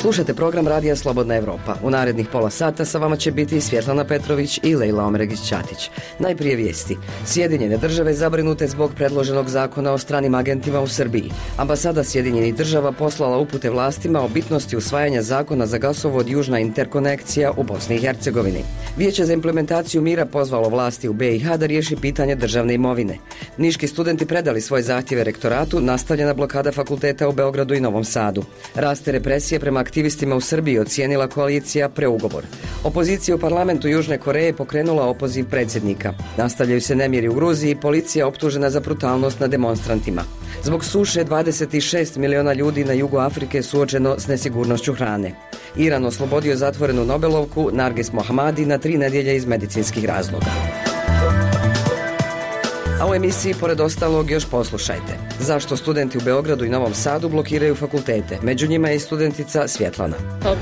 Slušajte program Radija Slobodna Evropa. U narednih pola sata sa vama će biti Svjetlana Petrović i Lejla Omregić-Ćatić. Najprije vijesti. Sjedinjene države zabrinute zbog predloženog zakona o stranim agentima u Srbiji. Ambasada Sjedinjenih država poslala upute vlastima o bitnosti usvajanja zakona za gasovod Južna interkonekcija u Bosni i Hercegovini. Vijeće za implementaciju mira pozvalo vlasti u BiH da riješi pitanje državne imovine. Niški studenti predali svoje zahtjeve rektoratu, nastavljena blokada fakulteta u Beogradu i Novom Sadu. Raste represije prema aktivistima u Srbiji, ocijenila koalicija preugovor. Opozicija u parlamentu Južne Koreje pokrenula opoziv predsjednika. Nastavljaju se nemiri u Gruziji, policija optužena za brutalnost nad demonstrantima. Zbog suše 26 miliona ljudi na jugu Afrike suočeno s nesigurnošću hrane. Iran oslobodio zatvorenu Nobelovku Narges Mohammadi na 3 nedjelje iz medicinskih razloga. A u emisiji, pored ostalog, još poslušajte. Zašto studenti u Beogradu i Novom Sadu blokiraju fakultete? Među njima je i studentica Svjetlana.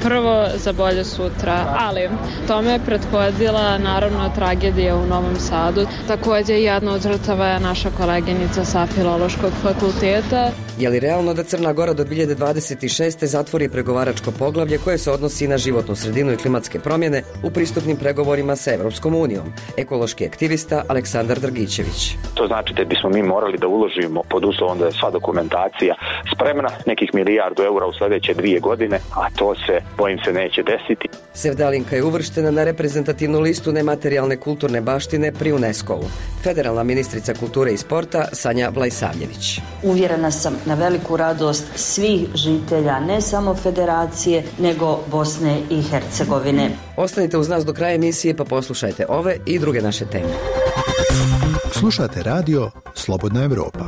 Prvo za bolje sutra, ali tome je prethodila naravno tragedija u Novom Sadu. Također jedna od žrtava je naša koleginica sa Filološkog fakulteta. Je li realno da Crna Gora do 2026. zatvori pregovaračko poglavlje koje se odnosi na životnu sredinu i klimatske promjene u pristupnim pregovorima sa Evropskom unijom? Ekološki aktivista Aleksandar Drgićević. To znači da bismo mi morali da uložimo pod uslovom da je sva dokumentacija spremna, nekih €1 milijardu u sljedeće 2 godine, a to se, bojim se, neće desiti. Sevdalinka je uvrštena na reprezentativnu listu nematerijalne kulturne baštine pri UNESCO-u. Federalna ministrica kulture i sporta Sanja Vlajsavljević. Uvjerena sam na veliku radost svih žitelja, ne samo Federacije, nego Bosne i Hercegovine. Ostanite uz nas do kraja emisije pa poslušajte ove i druge naše teme. Slušate radio Slobodna Evropa.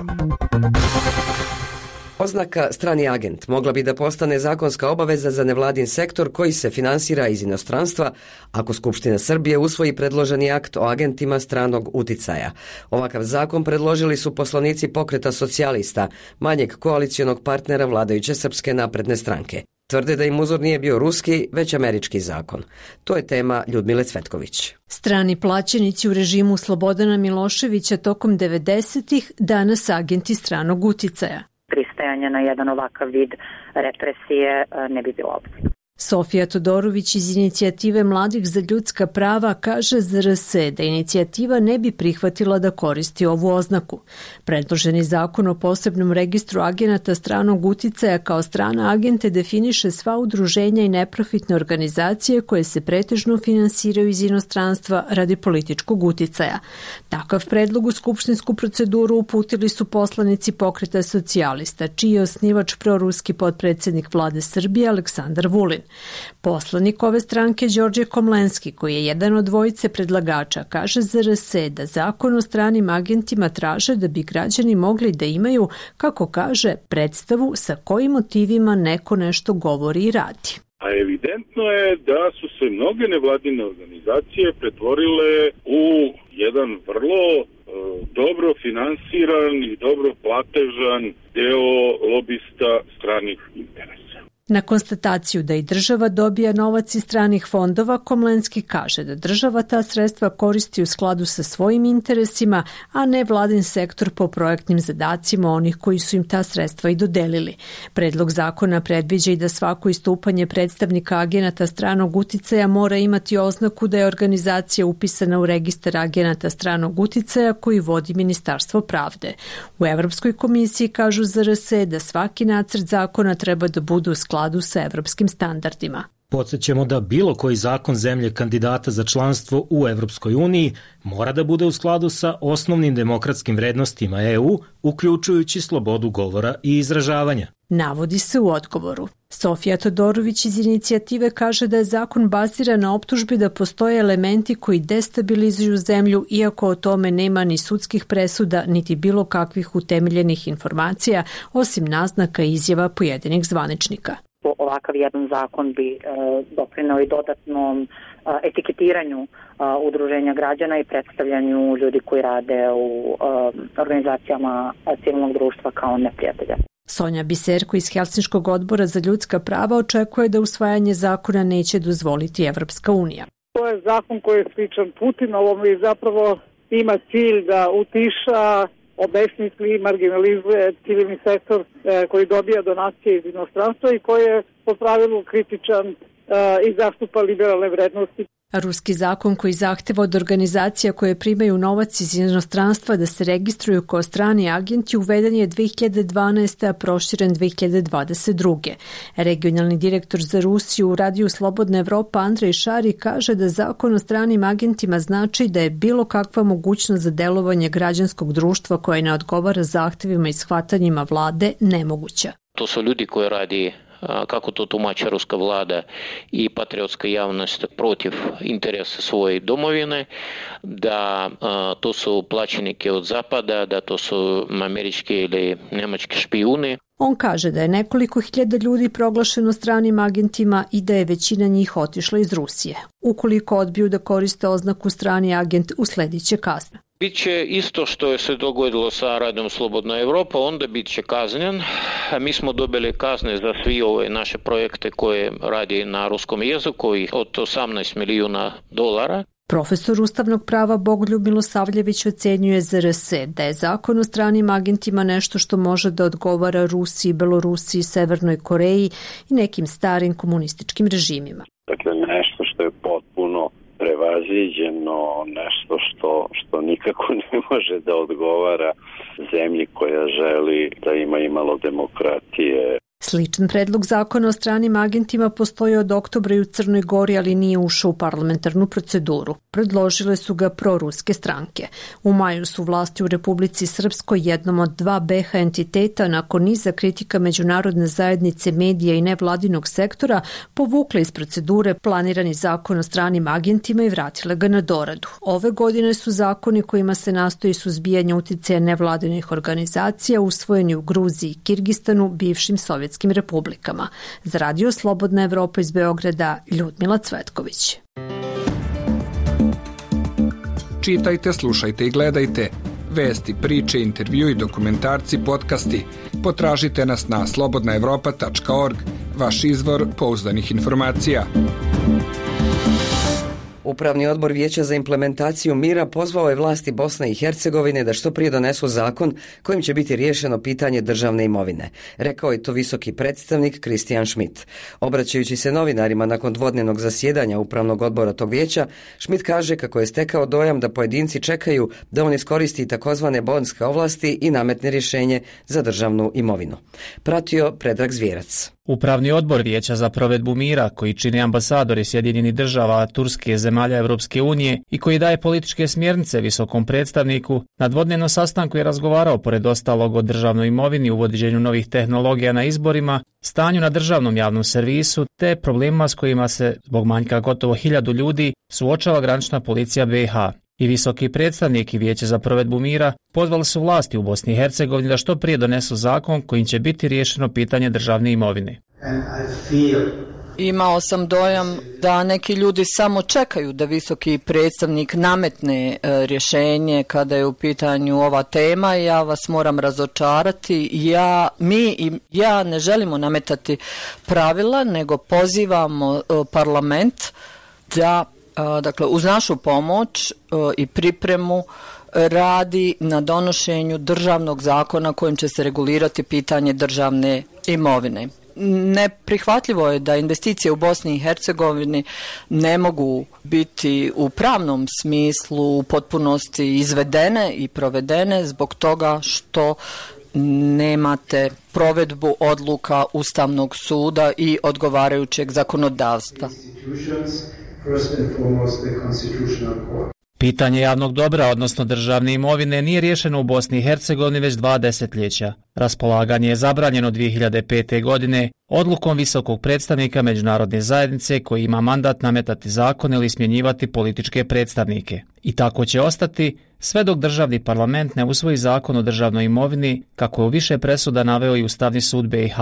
Oznaka strani agent mogla bi da postane zakonska obaveza za nevladin sektor koji se finansira iz inostranstva ako Skupština Srbije usvoji predloženi akt o agentima stranog uticaja. Ovakav zakon predložili su poslanici Pokreta socijalista, manjeg koalicionog partnera vladajuće Srpske napredne stranke. Tvrde da im uzor nije bio ruski, već američki zakon. To je tema Ljudmile Cvetković. Strani plaćenici u režimu Slobodana Miloševića tokom 90-ih, danas agenti stranog uticaja. Pristajanje na jedan ovakav vid represije ne bi bilo opcije. Sofija Todorović iz Inicijative mladih za ljudska prava kaže za RS da inicijativa ne bi prihvatila da koristi ovu oznaku. Predloženi zakon o posebnom registru agenata stranog uticaja kao strana agente definiše sva udruženja i neprofitne organizacije koje se pretežno finansiraju iz inostranstva radi političkog uticaja. Takav predlog u skupštinsku proceduru uputili su poslanici Pokreta socijalista, čiji je osnivač proruski potpredsjednik vlade Srbije Aleksandar Vulin. Poslanik ove stranke Đorđe Komlenski, koji je jedan od dvojice predlagača, kaže za RS da zakon o stranim agentima traže da bi građani mogli da imaju, kako kaže, predstavu sa kojim motivima neko nešto govori i radi. A evidentno je da su se mnoge nevladine organizacije pretvorile u jedan vrlo dobro finansiran i dobro platežan deo lobista stranih interesa. Na konstataciju da i država dobija novac iz stranih fondova, Komlenski kaže da država ta sredstva koristi u skladu sa svojim interesima, a ne vladin sektor po projektnim zadacima onih koji su im ta sredstva i dodelili. Predlog zakona predviđa i da svako istupanje predstavnika agenata stranog uticaja mora imati oznaku da je organizacija upisana u registar agenata stranog uticaja koji vodi Ministarstvo pravde. U Evropskoj komisiji kažu za RS da svaki nacrt zakona treba da bude u skladu sa evropskim standardima. Podsjećamo da bilo koji zakon zemlje kandidata za članstvo u Evropskoj uniji mora da bude u skladu sa osnovnim demokratskim vrednostima EU, uključujući slobodu govora i izražavanja. Navodi se u odgovoru. Sofija Todorović iz Inicijative kaže da je zakon baziran na optužbi da postoje elementi koji destabilizuju zemlju, iako o tome nema ni sudskih presuda, niti bilo kakvih utemeljenih informacija, osim naznaka i izjava pojedinih zvaničnika. Ovakav jedan zakon bi doprineo i dodatnom etiketiranju udruženja građana i predstavljanju ljudi koji rade u organizacijama civilnog društva kao neprijatelja. Sonja Biserko iz Helsinškog odbora za ljudska prava očekuje da usvajanje zakona neće dozvoliti Evropska unija. To je zakon koji je sličan Putinovom i zapravo ima cilj da utiša obesmisli i marginalizuje civilni sektor koji dobija donacije iz inostranstva i koji je po pravilu kritičan i zastupa liberalne vrednosti. Ruski zakon koji zahteva od organizacija koje primaju novac iz inostranstva da se registruju kao strani agenti uveden je 2012. a proširen 2022. Regionalni direktor za Rusiju u radiju Slobodna Evropa Andrej Šari kaže da zakon o stranim agentima znači da je bilo kakva mogućnost za delovanje građanskog društva koje ne odgovara zahtevima i shvatanjima vlade nemoguća. To su ljudi koji radi, kako to tumači ruska vlada i patriotska javnost, protiv interesa svoje domovine, da to su plaćenike od zapada, da to su američki ili njemački špijuni. On kaže da je nekoliko hiljada ljudi proglašeno stranim agentima i da je većina njih otišla iz Rusije. Ukoliko odbiju da koriste oznaku strani agent, uslediće kazna. Biće isto što je se dogodilo sa radom Slobodna Evropa, onda bit će kaznjen. Mi smo dobili kazne za svi ove naše projekte koje radi na ruskom jeziku od $18 milijuna. Profesor ustavnog prava Bogoljub Milosavljević ocenjuje ZRS da je zakon o stranim agentima nešto što može da odgovara Rusiji, Belorusiji, Severnoj Koreji i nekim starim komunističkim režimima. Dakle, nešto što je potpuno prevaziđeno, nešto što nikako ne može da odgovara zemlji koja želi da ima i malo demokratije. Sličan predlog zakona o stranim agentima postoji od oktobra i u Crnoj Gori, ali nije ušao u parlamentarnu proceduru. Predložile su ga proruske stranke. U maju su vlasti u Republici Srpskoj, jednom od dva BiH entiteta, nakon niza kritika međunarodne zajednice, medija i nevladinog sektora, povukle iz procedure planirani zakon o stranim agentima i vratile ga na doradu. Ove godine su zakoni kojima se nastoji suzbijanje uticaja nevladinih organizacija usvojeni u Gruziji i Kirgistanu, bivšim sovjetskim republikama. Za Radio Slobodna Evropa iz Beograda, Ljudmila Cvetković. Čitajte, slušajte i gledajte. Vesti, priče, intervju i dokumentarci, podcasti. Potražite nas na slobodnaevropa.org, vaš izvor pouzdanih informacija. Upravni odbor Vijeća za implementaciju mira pozvao je vlasti Bosne i Hercegovine da što prije donesu zakon kojim će biti riješeno pitanje državne imovine. Rekao je to visoki predstavnik Kristijan Schmidt. Obraćajući se novinarima nakon dvodnevnog zasjedanja upravnog odbora tog vijeća, Schmidt kaže kako je stekao dojam da pojedinci čekaju da on iskoristi takozvane bonske ovlasti i nametne rješenje za državnu imovinu. Pratio Predrag Zvjerac. Upravni odbor Vijeća za provedbu mira, koji čini ambasadori Sjedinjenih država, Turske, zemalja Europske unije i koji daje političke smjernice visokom predstavniku, na dvodnevnom sastanku je razgovarao pored ostalog o državnoj imovini, uvođenju novih tehnologija na izborima, stanju na državnom javnom servisu te problemima s kojima se, zbog manjka gotovo 1000 ljudi, suočava granična policija BiH. I visoki predstavnik i Vijeće za provedbu mira pozvali su vlasti u Bosni i Hercegovini da što prije donesu zakon kojim će biti riješeno pitanje državne imovine. Imao sam dojam da neki ljudi samo čekaju da visoki predstavnik nametne rješenje kada je u pitanju ova tema. Ja vas moram razočarati. Ja ne želimo nametati pravila, nego pozivamo parlament da, dakle, uz našu pomoć i pripremu radi na donošenju državnog zakona kojim će se regulirati pitanje državne imovine. Neprihvatljivo je da investicije u Bosni i Hercegovini ne mogu biti u pravnom smislu u potpunosti izvedene i provedene zbog toga što nemate provedbu odluka Ustavnog suda i odgovarajućeg zakonodavstva. Pitanje javnog dobra, odnosno državne imovine, nije riješeno u Bosni i Hercegovini već 2 desetljeća. Raspolaganje je zabranjeno 2005. godine odlukom visokog predstavnika međunarodne zajednice koji ima mandat nametati zakon ili smjenjivati političke predstavnike. I tako će ostati sve dok državni parlament ne usvoji zakon o državnoj imovini, kako je u više presuda naveo i Ustavni sud BiH.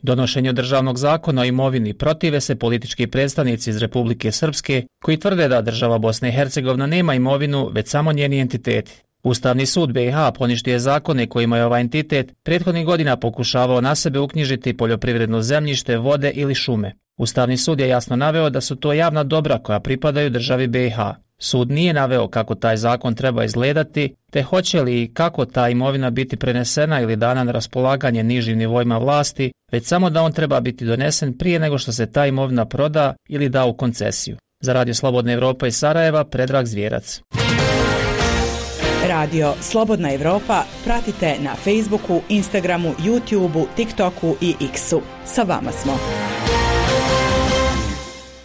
Donošenju državnog zakona o imovini protive se politički predstavnici iz Republike Srpske koji tvrde da država Bosna i Hercegovina nema imovinu, već samo njeni entiteti. Ustavni sud BiH poništio je zakone kojima je ovaj entitet prethodnih godina pokušavao na sebe uknjižiti poljoprivredno zemljište, vode ili šume. Ustavni sud je jasno naveo da su to javna dobra koja pripadaju državi BiH. Sud nije naveo kako taj zakon treba izgledati, te hoće li i kako ta imovina biti prenesena ili dana na raspolaganje nižim nivoima vlasti, već samo da on treba biti donesen prije nego što se ta imovina proda ili da u koncesiju. Za Radio Slobodna Evropa iz Sarajeva, Predrag Zvjerac. Radio Slobodna Evropa pratite na Facebooku, Instagramu, YouTubeu, TikToku i X-u. Sa vama smo.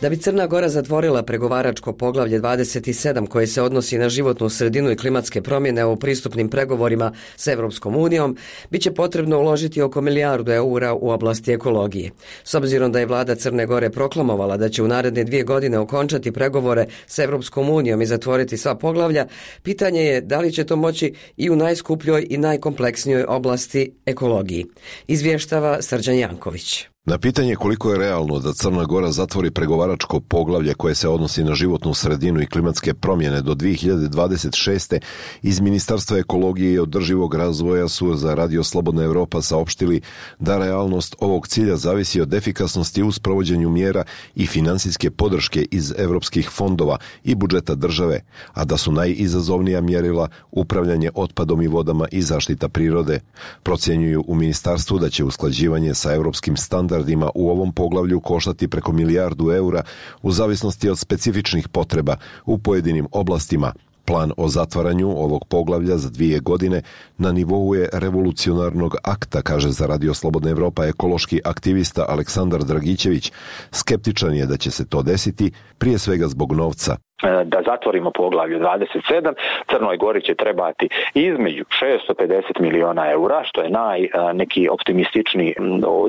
Da bi Crna Gora zatvorila pregovaračko poglavlje 27 koje se odnosi na životnu sredinu i klimatske promjene u pristupnim pregovorima s Evropskom unijom, bit će potrebno uložiti oko milijardu eura u oblasti ekologije. S obzirom da je vlada Crne Gore proklamovala da će u naredne 2 godine okončati pregovore s Evropskom unijom i zatvoriti sva poglavlja, pitanje je da li će to moći i u najskupljoj i najkompleksnijoj oblasti ekologiji. Izvještava Srđan Janković. Na pitanje koliko je realno da Crna Gora zatvori pregovaračko poglavlje koje se odnosi na životnu sredinu i klimatske promjene do 2026. iz Ministarstva ekologije i održivog razvoja su za Radio Slobodna Evropa saopštili da realnost ovog cilja zavisi od efikasnosti u sprovođenju mjera i finansijske podrške iz evropskih fondova i budžeta države, a da su najizazovnija mjerila upravljanje otpadom i vodama i zaštita prirode. Procjenjuju u ministarstvu da će usklađivanje sa evropskim standardima u ovom poglavlju koštati preko milijardu eura u zavisnosti od specifičnih potreba u pojedinim oblastima. Plan o zatvaranju ovog poglavlja za 2 godine na nivou je revolucionarnog akta, kaže za Radio Slobodna Evropa ekološki aktivista Aleksandar Dragićević. Skeptičan je da će se to desiti, prije svega zbog novca. Da zatvorimo poglavlje 27, Crnoj Gori će trebati između 650 miliona eura, što je neki optimističniji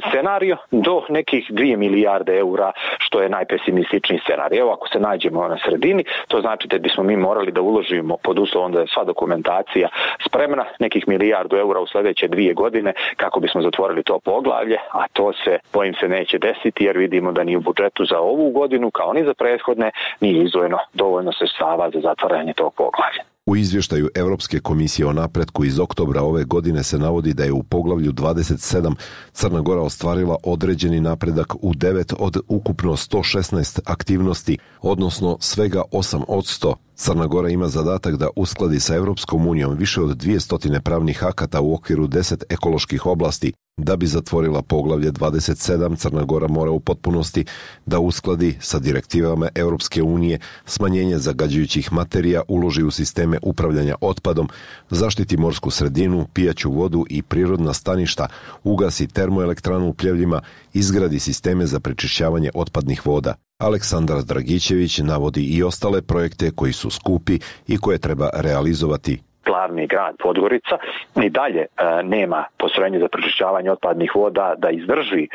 scenario, do nekih 2 milijarde eura, što je najpesimističniji scenario. Evo, ako se nađemo na sredini, to znači da bismo mi morali da uložimo pod uslovom da je sva dokumentacija spremna, nekih milijardu eura u sljedeće 2 godine kako bismo zatvorili to poglavlje, a to se, bojim se, neće desiti jer vidimo da ni u budžetu za ovu godinu, kao ni za prethodne, nije izdvojeno dovoljno sredstava za zatvaranje tog poglavlja. U izvještaju Europske komisije o napretku iz oktobra ove godine se navodi da je u poglavlju 27 Crna Gora ostvarila određeni napredak u 9 od ukupno 116 aktivnosti, odnosno svega 8%. Crna Gora ima zadatak da uskladi sa Evropskom unijom više od 200 pravnih akata u okviru 10 ekoloških oblasti. Da bi zatvorila poglavlje 27, Crna Gora mora u potpunosti da uskladi sa direktivama Europske unije smanjenje zagađujućih materija, uloži u sisteme upravljanja otpadom, zaštiti morsku sredinu, pijaću vodu i prirodna staništa, ugasi termoelektranu u Pljevljima, izgradi sisteme za prečišćavanje otpadnih voda. Aleksandar Dragićević navodi i ostale projekte koji su skupi i koje treba realizovati. Glavni grad Podgorica i dalje nema postrojenje za prečišćavanje otpadnih voda da izdrži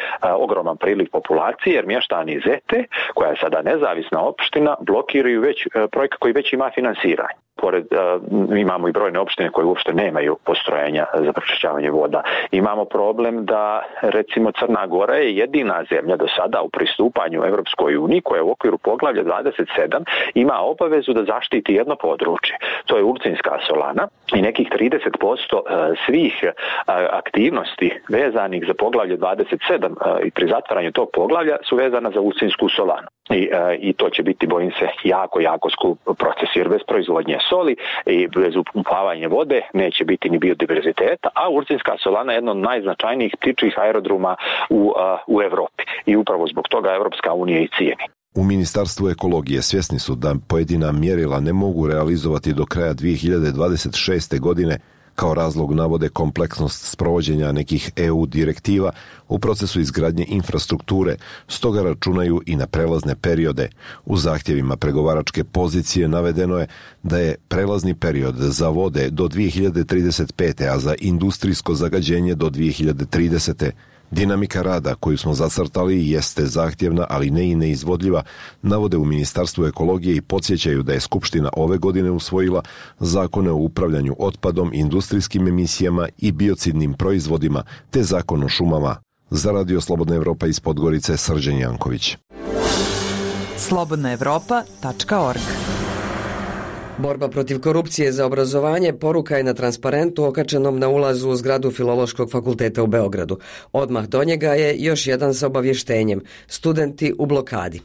ogroman priliv populacije, jer mještani Zete, koja je sada nezavisna opština, blokiraju projekat koji već ima finansiranje. Pored, imamo i brojne opštine koje uopšte nemaju postrojenja za prečišćavanje voda. Imamo problem da, recimo, Crna Gora je jedina zemlja do sada u pristupanju Evropskoj uniji koja u okviru poglavlja 27 ima obavezu da zaštiti jedno područje. To je Ulcinska solana i nekih 30% svih aktivnosti vezanih za poglavlje 27 i pri zatvaranju tog poglavlja su vezana za Ulcinsku solanu. I to će biti, bojim se, jako skup proces, jer bez proizvodnje soli i bez upumpavanja vode neće biti ni biodiverziteta, a Ulcinska solana je jedno od najznačajnijih ptičjih aerodroma u Evropi i upravo zbog toga Evropska unija i cijeni. U Ministarstvu ekologije svjesni su da pojedina mjerila ne mogu realizovati do kraja 2026. godine. Kao razlog navode kompleksnost sprovođenja nekih EU direktiva u procesu izgradnje infrastrukture, stoga računaju i na prelazne periode. U zahtjevima pregovaračke pozicije navedeno je da je prelazni period za vode do 2035. a za industrijsko zagađenje do 2030. Dinamika rada koju smo zacrtali jeste zahtjevna, ali ne i neizvodljiva, navode u Ministarstvu ekologije i podsjećaju da je Skupština ove godine usvojila zakone o upravljanju otpadom, industrijskim emisijama i biocidnim proizvodima, te zakon o šumama. Za Radio Slobodna Evropa iz Podgorice, Srđan Janković. slobodnaevropa.org Borba protiv korupcije za obrazovanje poruka je na transparentu okačenom na ulazu u zgradu Filološkog fakulteta u Beogradu. Odmah do njega je još jedan sa obavještenjem: studenti u blokadi.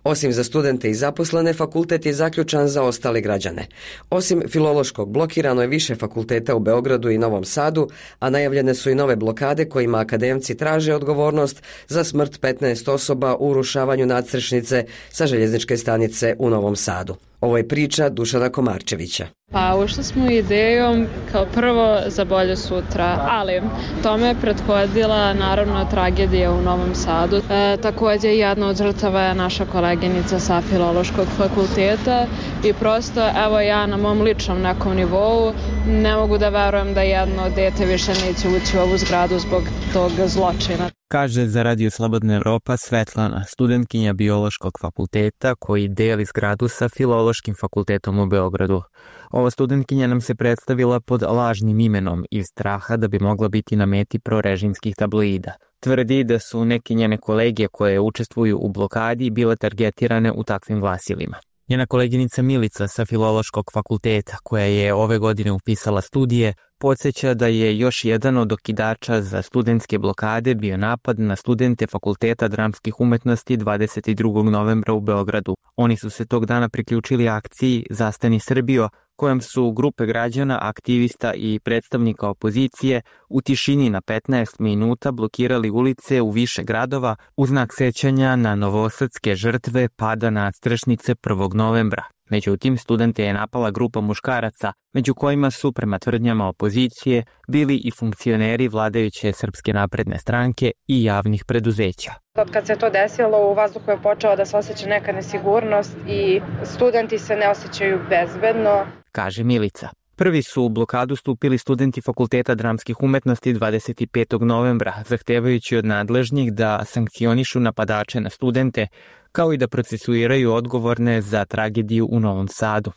Osim za studente i zaposlene, fakultet je zaključan za ostale građane. Osim Filološkog, blokirano je više fakulteta u Beogradu i Novom Sadu, a najavljene su i nove blokade kojima akademci traže odgovornost za smrt 15 osoba u urušavanju nadstrešnice sa željezničke stanice u Novom Sadu. Ovo je priča Dušana Komarčevića. Pa ušli smo idejom kao prvo za bolje sutra, ali tome je prethodila naravno tragedija u Novom Sadu. Također jedna od žrtava je naša koleginica sa Filološkog fakulteta i prosto evo ja na mom ličnom nekom nivou ne mogu da verujem da jedno dete više neće ući u ovu zgradu zbog tog zločina. Kaže za Radio Slobodna Evropa Svetlana, studentkinja Biološkog fakulteta koji deli zgradu sa Filološkim fakultetom u Beogradu. Ova studentkinja nam se predstavila pod lažnim imenom iz straha da bi mogla biti na meti prorežimskih tabloida. Tvrdi da su neke njene kolege koje učestvuju u blokadi bile targetirane u takvim glasilima. Njena koleginica Milica sa Filološkog fakulteta, koja je ove godine upisala studije, podsjeća da je još jedan od okidača za studentske blokade bio napad na studente Fakulteta dramskih umetnosti 22. novembra u Beogradu. Oni su se tog dana priključili akciji Zastani Srbijo, kojom su grupe građana, aktivista i predstavnika opozicije u tišini na 15 minuta blokirali ulice u više gradova u znak sećanja na novosadske žrtve pada nadstrešnice 1. novembra. Međutim, studente je napala grupa muškaraca, među kojima su, prema tvrdnjama opozicije, bili i funkcioneri vladajuće Srpske napredne stranke i javnih preduzeća. Od kad se to desilo, u vazduhu je počela da se osjeća neka nesigurnost i studenti se ne osjećaju bezbedno, kaže Milica. Prvi su u blokadu stupili studenti Fakulteta dramskih umetnosti 25. novembra, zahtevajući od nadležnih da sankcionišu napadače na studente, kao i da procesuiraju odgovorne za tragediju u Novom Sadu.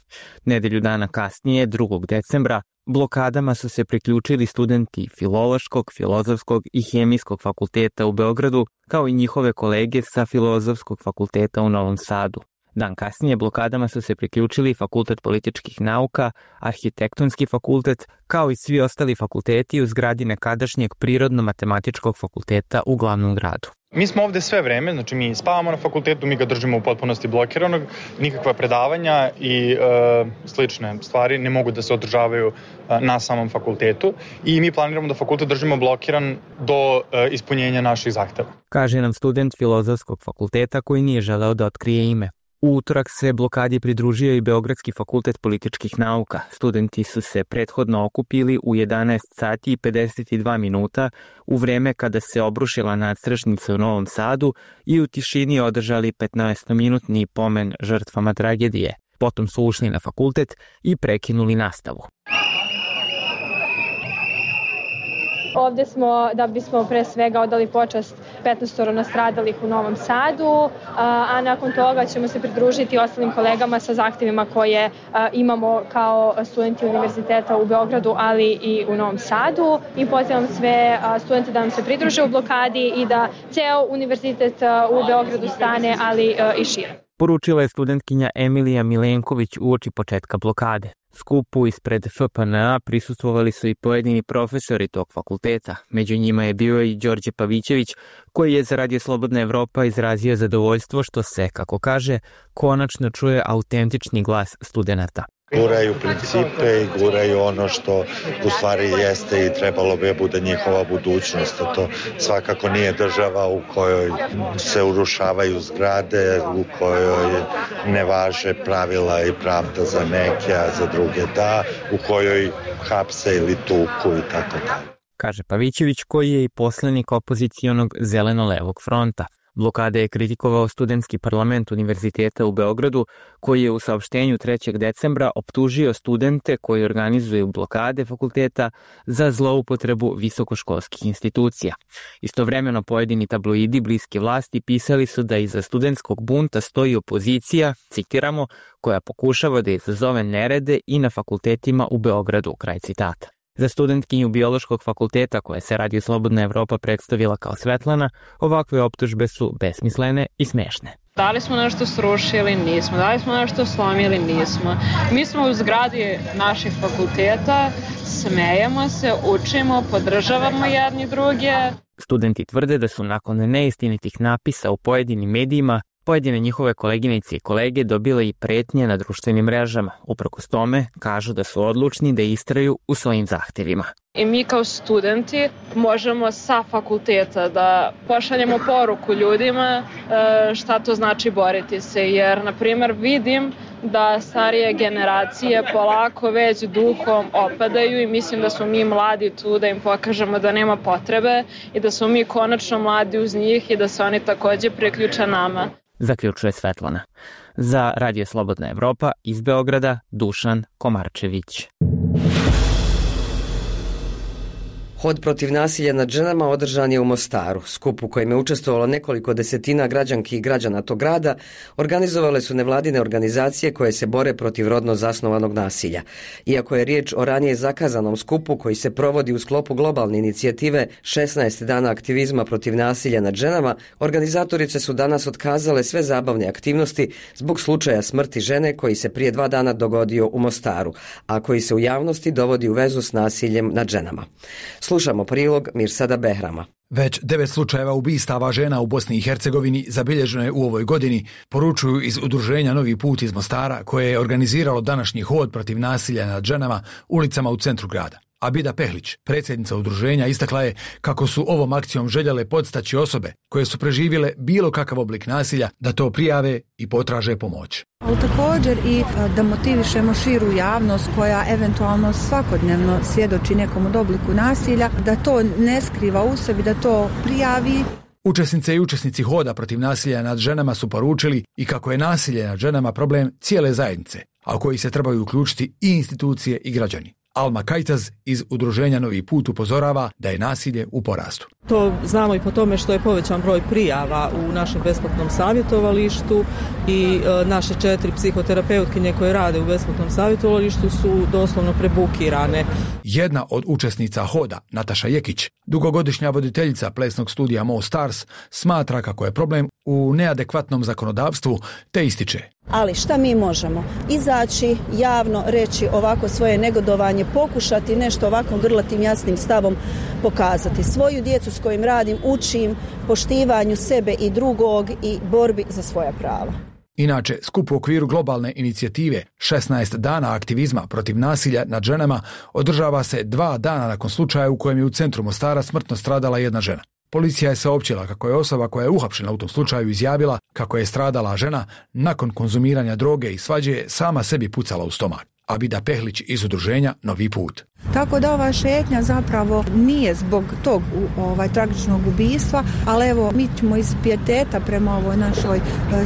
Nedelju dana kasnije, 2. decembra, blokadama su se priključili studenti Filološkog, Filozofskog i Hemijskog fakulteta u Beogradu, kao i njihove kolege sa Filozofskog fakulteta u Novom Sadu. Dan kasnije blokadama su se priključili Fakultet političkih nauka, Arhitektonski fakultet, kao i svi ostali fakulteti u zgradi nekadašnjeg Prirodno-matematičkog fakulteta u glavnom gradu. Mi smo ovde sve vreme, znači mi spavamo na fakultetu, mi ga držimo u potpunosti blokiranog, nikakva predavanja i slične stvari ne mogu da se održavaju na samom fakultetu i mi planiramo da fakultet držimo blokiran do ispunjenja naših zahteva. Kaže nam student Filozofskog fakulteta koji nije želeo da otkrije ime. U utorak se blokadi pridružio i Beogradski fakultet političkih nauka. Studenti su se prethodno okupili u 11 sati i 52 minuta u vreme kada se obrušila nadstrešnica u Novom Sadu i u tišini održali 15-minutni pomen žrtvama tragedije. Potom su ušli na fakultet i prekinuli nastavu. Ovde smo da bismo pre svega odali počast 15 nastradalih u Novom Sadu, a nakon toga ćemo se pridružiti ostalim kolegama sa zahtevima koje imamo kao studenti univerziteta u Beogradu, ali i u Novom Sadu. I pozivam sve studente da nam se pridruže u blokadi i da ceo univerzitet u Beogradu stane, ali i šire. Poručila je studentkinja Emilija Milenković uoči početka blokade. Skupu ispred FPNA prisustvovali su i pojedini profesori tog fakulteta. Među njima je bio i Đorđe Pavićević, koji je za Radio Slobodna Evropa izrazio zadovoljstvo što se, kako kaže, konačno čuje autentični glas studenata. Guraju principe i guraju ono što u stvari jeste i trebalo bi bude njihova budućnost. To svakako nije država u kojoj se urušavaju zgrade, u kojoj ne važe pravila i pravda za neke, a za druge da, u kojoj hapse ili tuku i tako da. Kaže Pavićević, koji je i poslanik opozicionog Zeleno-levog fronta. Blokade je kritikovao studentski parlament Univerziteta u Beogradu, koji je u saopštenju 3. decembra optužio studente koji organizuju blokade fakulteta za zloupotrebu visokoškolskih institucija. Istovremeno pojedini tabloidi bliski vlasti pisali su da iza studentskog bunta stoji opozicija, citiramo, koja pokušava da izazove nerede i na fakultetima u Beogradu, kraj citata. Za studentkinju Biološkog fakulteta, koja se Radio Slobodna Evropa predstavila kao Svetlana, ovakve optužbe su besmislene i smešne. Da li smo nešto srušili? Nismo. Da li smo nešto slomili? Nismo. Mi smo u zgradi naših fakulteta, smejemo se, učimo, podržavamo jedni druge. Studenti tvrde da su nakon neistinitih napisa u pojedinim medijima pojedine njihove koleginice i kolege dobile i pretnje na društvenim mrežama. Uprkos tome, kažu da su odlučni da istraju u svojim zahtjevima. I mi kao studenti možemo sa fakulteta da pošaljemo poruku ljudima šta to znači boriti se. Jer, na primjer, vidim da starije generacije polako već duhom opadaju i mislim da smo mi mladi tu da im pokažemo da nema potrebe i da smo mi konačno mladi uz njih i da se oni također priključe nama. Zaključuje Svetlana. Za Radio Slobodna Evropa iz Beograda, Dušan Komarčević. Hod protiv nasilja nad ženama održan je u Mostaru. Skup u kojem je učestvovalo nekoliko desetina građanki i građana tog grada organizovale su nevladine organizacije koje se bore protiv rodno zasnovanog nasilja. Iako je riječ o ranije zakazanom skupu koji se provodi u sklopu globalne inicijative 16 dana aktivizma protiv nasilja nad ženama, organizatorice su danas otkazale sve zabavne aktivnosti zbog slučaja smrti žene koji se prije 2 dana dogodio u Mostaru, a koji se u javnosti dovodi u vezu s nasiljem nad ženama. Slušamo prilog Mirsada Behrama. Već 9 slučajeva ubistava žena u Bosni i Hercegovini zabilježeno je u ovoj godini, poručuju iz udruženja Novi put iz Mostara, koje je organiziralo današnji hod protiv nasilja nad ženama ulicama u centru grada. Abida Pehlić, predsjednica udruženja, istakla je kako su ovom akcijom željele podstaći osobe koje su preživjele bilo kakav oblik nasilja da to prijave i potraže pomoć. Ali također i da motivišemo širu javnost koja eventualno svakodnevno svjedoči nekom od obliku nasilja, da to ne skriva u sebi, da to prijavi. Učesnice i učesnici hoda protiv nasilja nad ženama su poručili i kako je nasilje nad ženama problem cijele zajednice, a u koji se trebaju uključiti i institucije i građani. Alma Kajtaz iz udruženja Novi put upozorava da je nasilje u porastu. To znamo i po tome što je povećan broj prijava u našem besplatnom savjetovalištu i naše 4 psihoterapeutkinje koje rade u besplatnom savjetovalištu su doslovno prebukirane. Jedna od učesnica hoda, Nataša Jekić, dugogodišnja voditeljica plesnog studija Mo Stars, smatra kako je problem u neadekvatnom zakonodavstvu, te ističe: ali šta mi možemo? Izaći, javno reći ovako svoje negodovanje, pokušati nešto ovako grlatim jasnim stavom pokazati. Svoju djecu s kojim radim učim poštivanju sebe i drugog i borbi za svoja prava. Inače, skup u okviru globalne inicijative 16 dana aktivizma protiv nasilja nad ženama održava se 2 dana nakon slučaja u kojem je u centru Mostara smrtno stradala jedna žena. Policija je saopćila kako je osoba koja je uhapšena u tom slučaju izjavila kako je stradala žena nakon konzumiranja droge i svađe sama sebi pucala u stomak. Abida Pehlić iz udruženja Novi put. Tako da ova šetnja zapravo nije zbog tog tragičnog ubistva, ali evo mi ćemo iz pijeteta prema ovoj našoj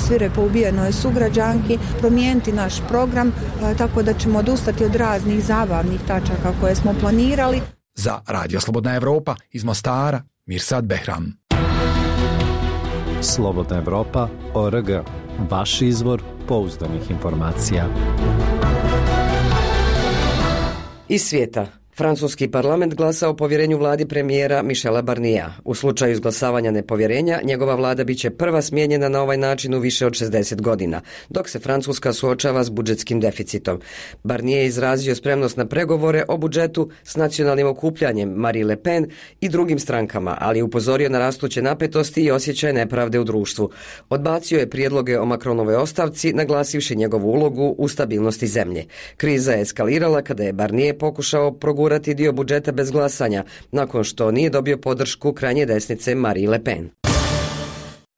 svirepo ubijenoj sugrađanki promijeniti naš program, tako da ćemo odustati od raznih zabavnih tačaka koje smo planirali. Za Radio Slobodna Evropa iz Mostara, Mirsad Behram. Slobodna Evropa.org. Vaš izvor pouzdanih informacija. Iz svijeta. Francuski parlament glasa o povjerenju vladi premijera Michela Barniera. U slučaju izglasavanja nepovjerenja, njegova vlada biće prva smijenjena na ovaj način u više od 60 godina, dok se Francuska suočava s budžetskim deficitom. Barnier je izrazio spremnost na pregovore o budžetu s nacionalnim okupljanjem Marine Le Pen i drugim strankama, ali je upozorio na rastuće napetosti i osjećaj nepravde u društvu. Odbacio je prijedloge o Macronovoj ostavci, naglasivši njegovu ulogu u stabilnosti zemlje. Kriza je eskalirala kada je Barnier pokušao progurati dio budžeta bez glasanja, nakon što nije dobio podršku krajnje desnice Marine Le Pen.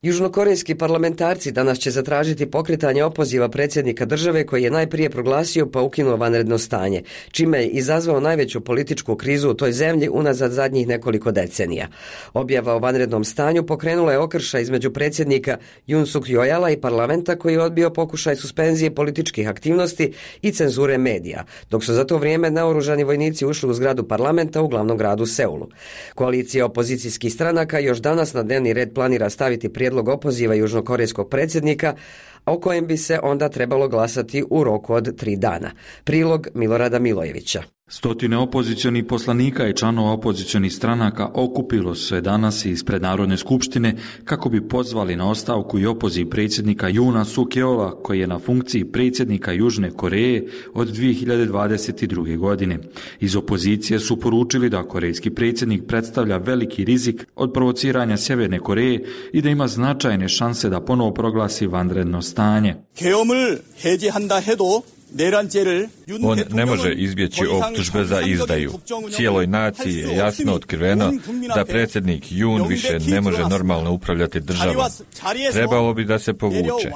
Južnokorejski parlamentarci danas će zatražiti pokretanje opoziva predsjednika države koji je najprije proglasio pa ukinuo vanredno stanje, čime je izazvao najveću političku krizu u toj zemlji unazad zadnjih nekoliko decenija. Objava o vanrednom stanju pokrenula je okršaj između predsjednika Yoon Suk Yeola i parlamenta koji je odbio pokušaj suspenzije političkih aktivnosti i cenzure medija, dok su za to vrijeme naoružani vojnici ušli u zgradu parlamenta u glavnom gradu Seulu. Koalicija opozicijskih stranaka još danas na dnevni red planira staviti prijedlog opoziva južnokorejskog predsjednika, a o kojem bi se onda trebalo glasati u roku od 3 dana. Prilog Milorada Milojevića. Stotine opozicionih poslanika i članova opozicionih stranaka okupilo se danas ispred Narodne skupštine kako bi pozvali na ostavku i opoziv predsjednika Yoona Suk Yeola, koji je na funkciji predsjednika Južne Koreje od 2022. godine. Iz opozicije su poručili da korejski predsjednik predstavlja veliki rizik od provociranja Sjeverne Koreje i da ima značajne šanse da ponovo proglasi vanredno stanje. On ne može izbjeći optužbe za izdaju. Cijeloj naciji je jasno otkriveno da predsjednik Yoon više ne može normalno upravljati državom. Trebalo bi da se povuče.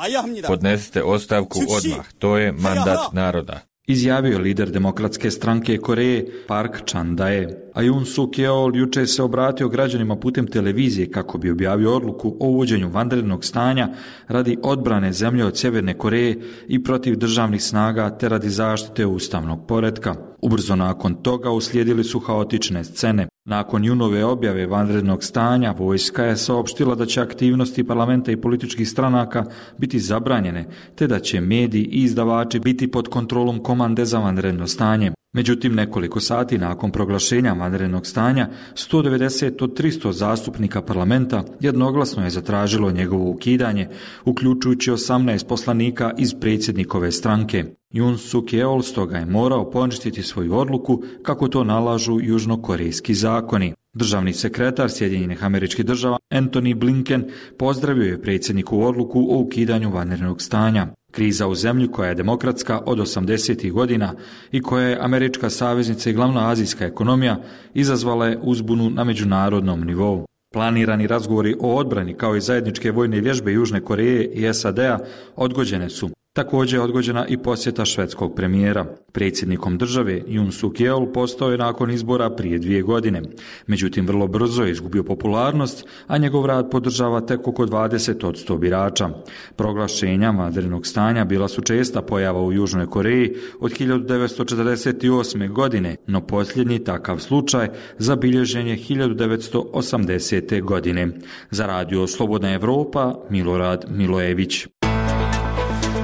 Podnesite ostavku odmah. To je mandat naroda. Izjavio lider Demokratske stranke Koreje Park Chan-dae. A Yoon Suk Yeol jučer se obratio građanima putem televizije kako bi objavio odluku o uvođenju vanrednog stanja radi odbrane zemlje od Sjeverne Koreje i protiv državnih snaga te radi zaštite ustavnog poretka. Ubrzo nakon toga uslijedili su haotične scene. Nakon Yoonove objave vanrednog stanja, vojska je saopštila da će aktivnosti parlamenta i političkih stranaka biti zabranjene, te da će mediji i izdavači biti pod kontrolom komande za vanredno stanje. Međutim, nekoliko sati nakon proglašenja vanrednog stanja, 190 od 300 zastupnika parlamenta jednoglasno je zatražilo njegovo ukidanje, uključujući 18 poslanika iz predsjednikove stranke. Yoon Suk Yeol stoga je morao poništiti svoju odluku kako to nalažu južnokorejski zakoni. Državni sekretar Sjedinjenih Američkih Država Antony Blinken pozdravio je predsjednikovu odluku o ukidanju vanrednog stanja. Kriza u zemlji koja je demokratska od 80. godina i koja je američka saveznica i glavna azijska ekonomija izazvala je uzbunu na međunarodnom nivou. Planirani razgovori o odbrani kao i zajedničke vojne vježbe Južne Koreje i SAD-a odgođene su. Također je odgođena i posjeta švedskog premijera. Predsjednikom države Yoon Suk Yeol postao je nakon izbora prije 2 godine. Međutim, vrlo brzo je izgubio popularnost, a njegov rad podržava tek oko 20% birača. Proglašenja vanrednog stanja bila su česta pojava u Južnoj Koreji od 1948. godine, no posljednji takav slučaj zabilježen je 1980. godine. Za radio Slobodna Evropa, Milorad Milojević.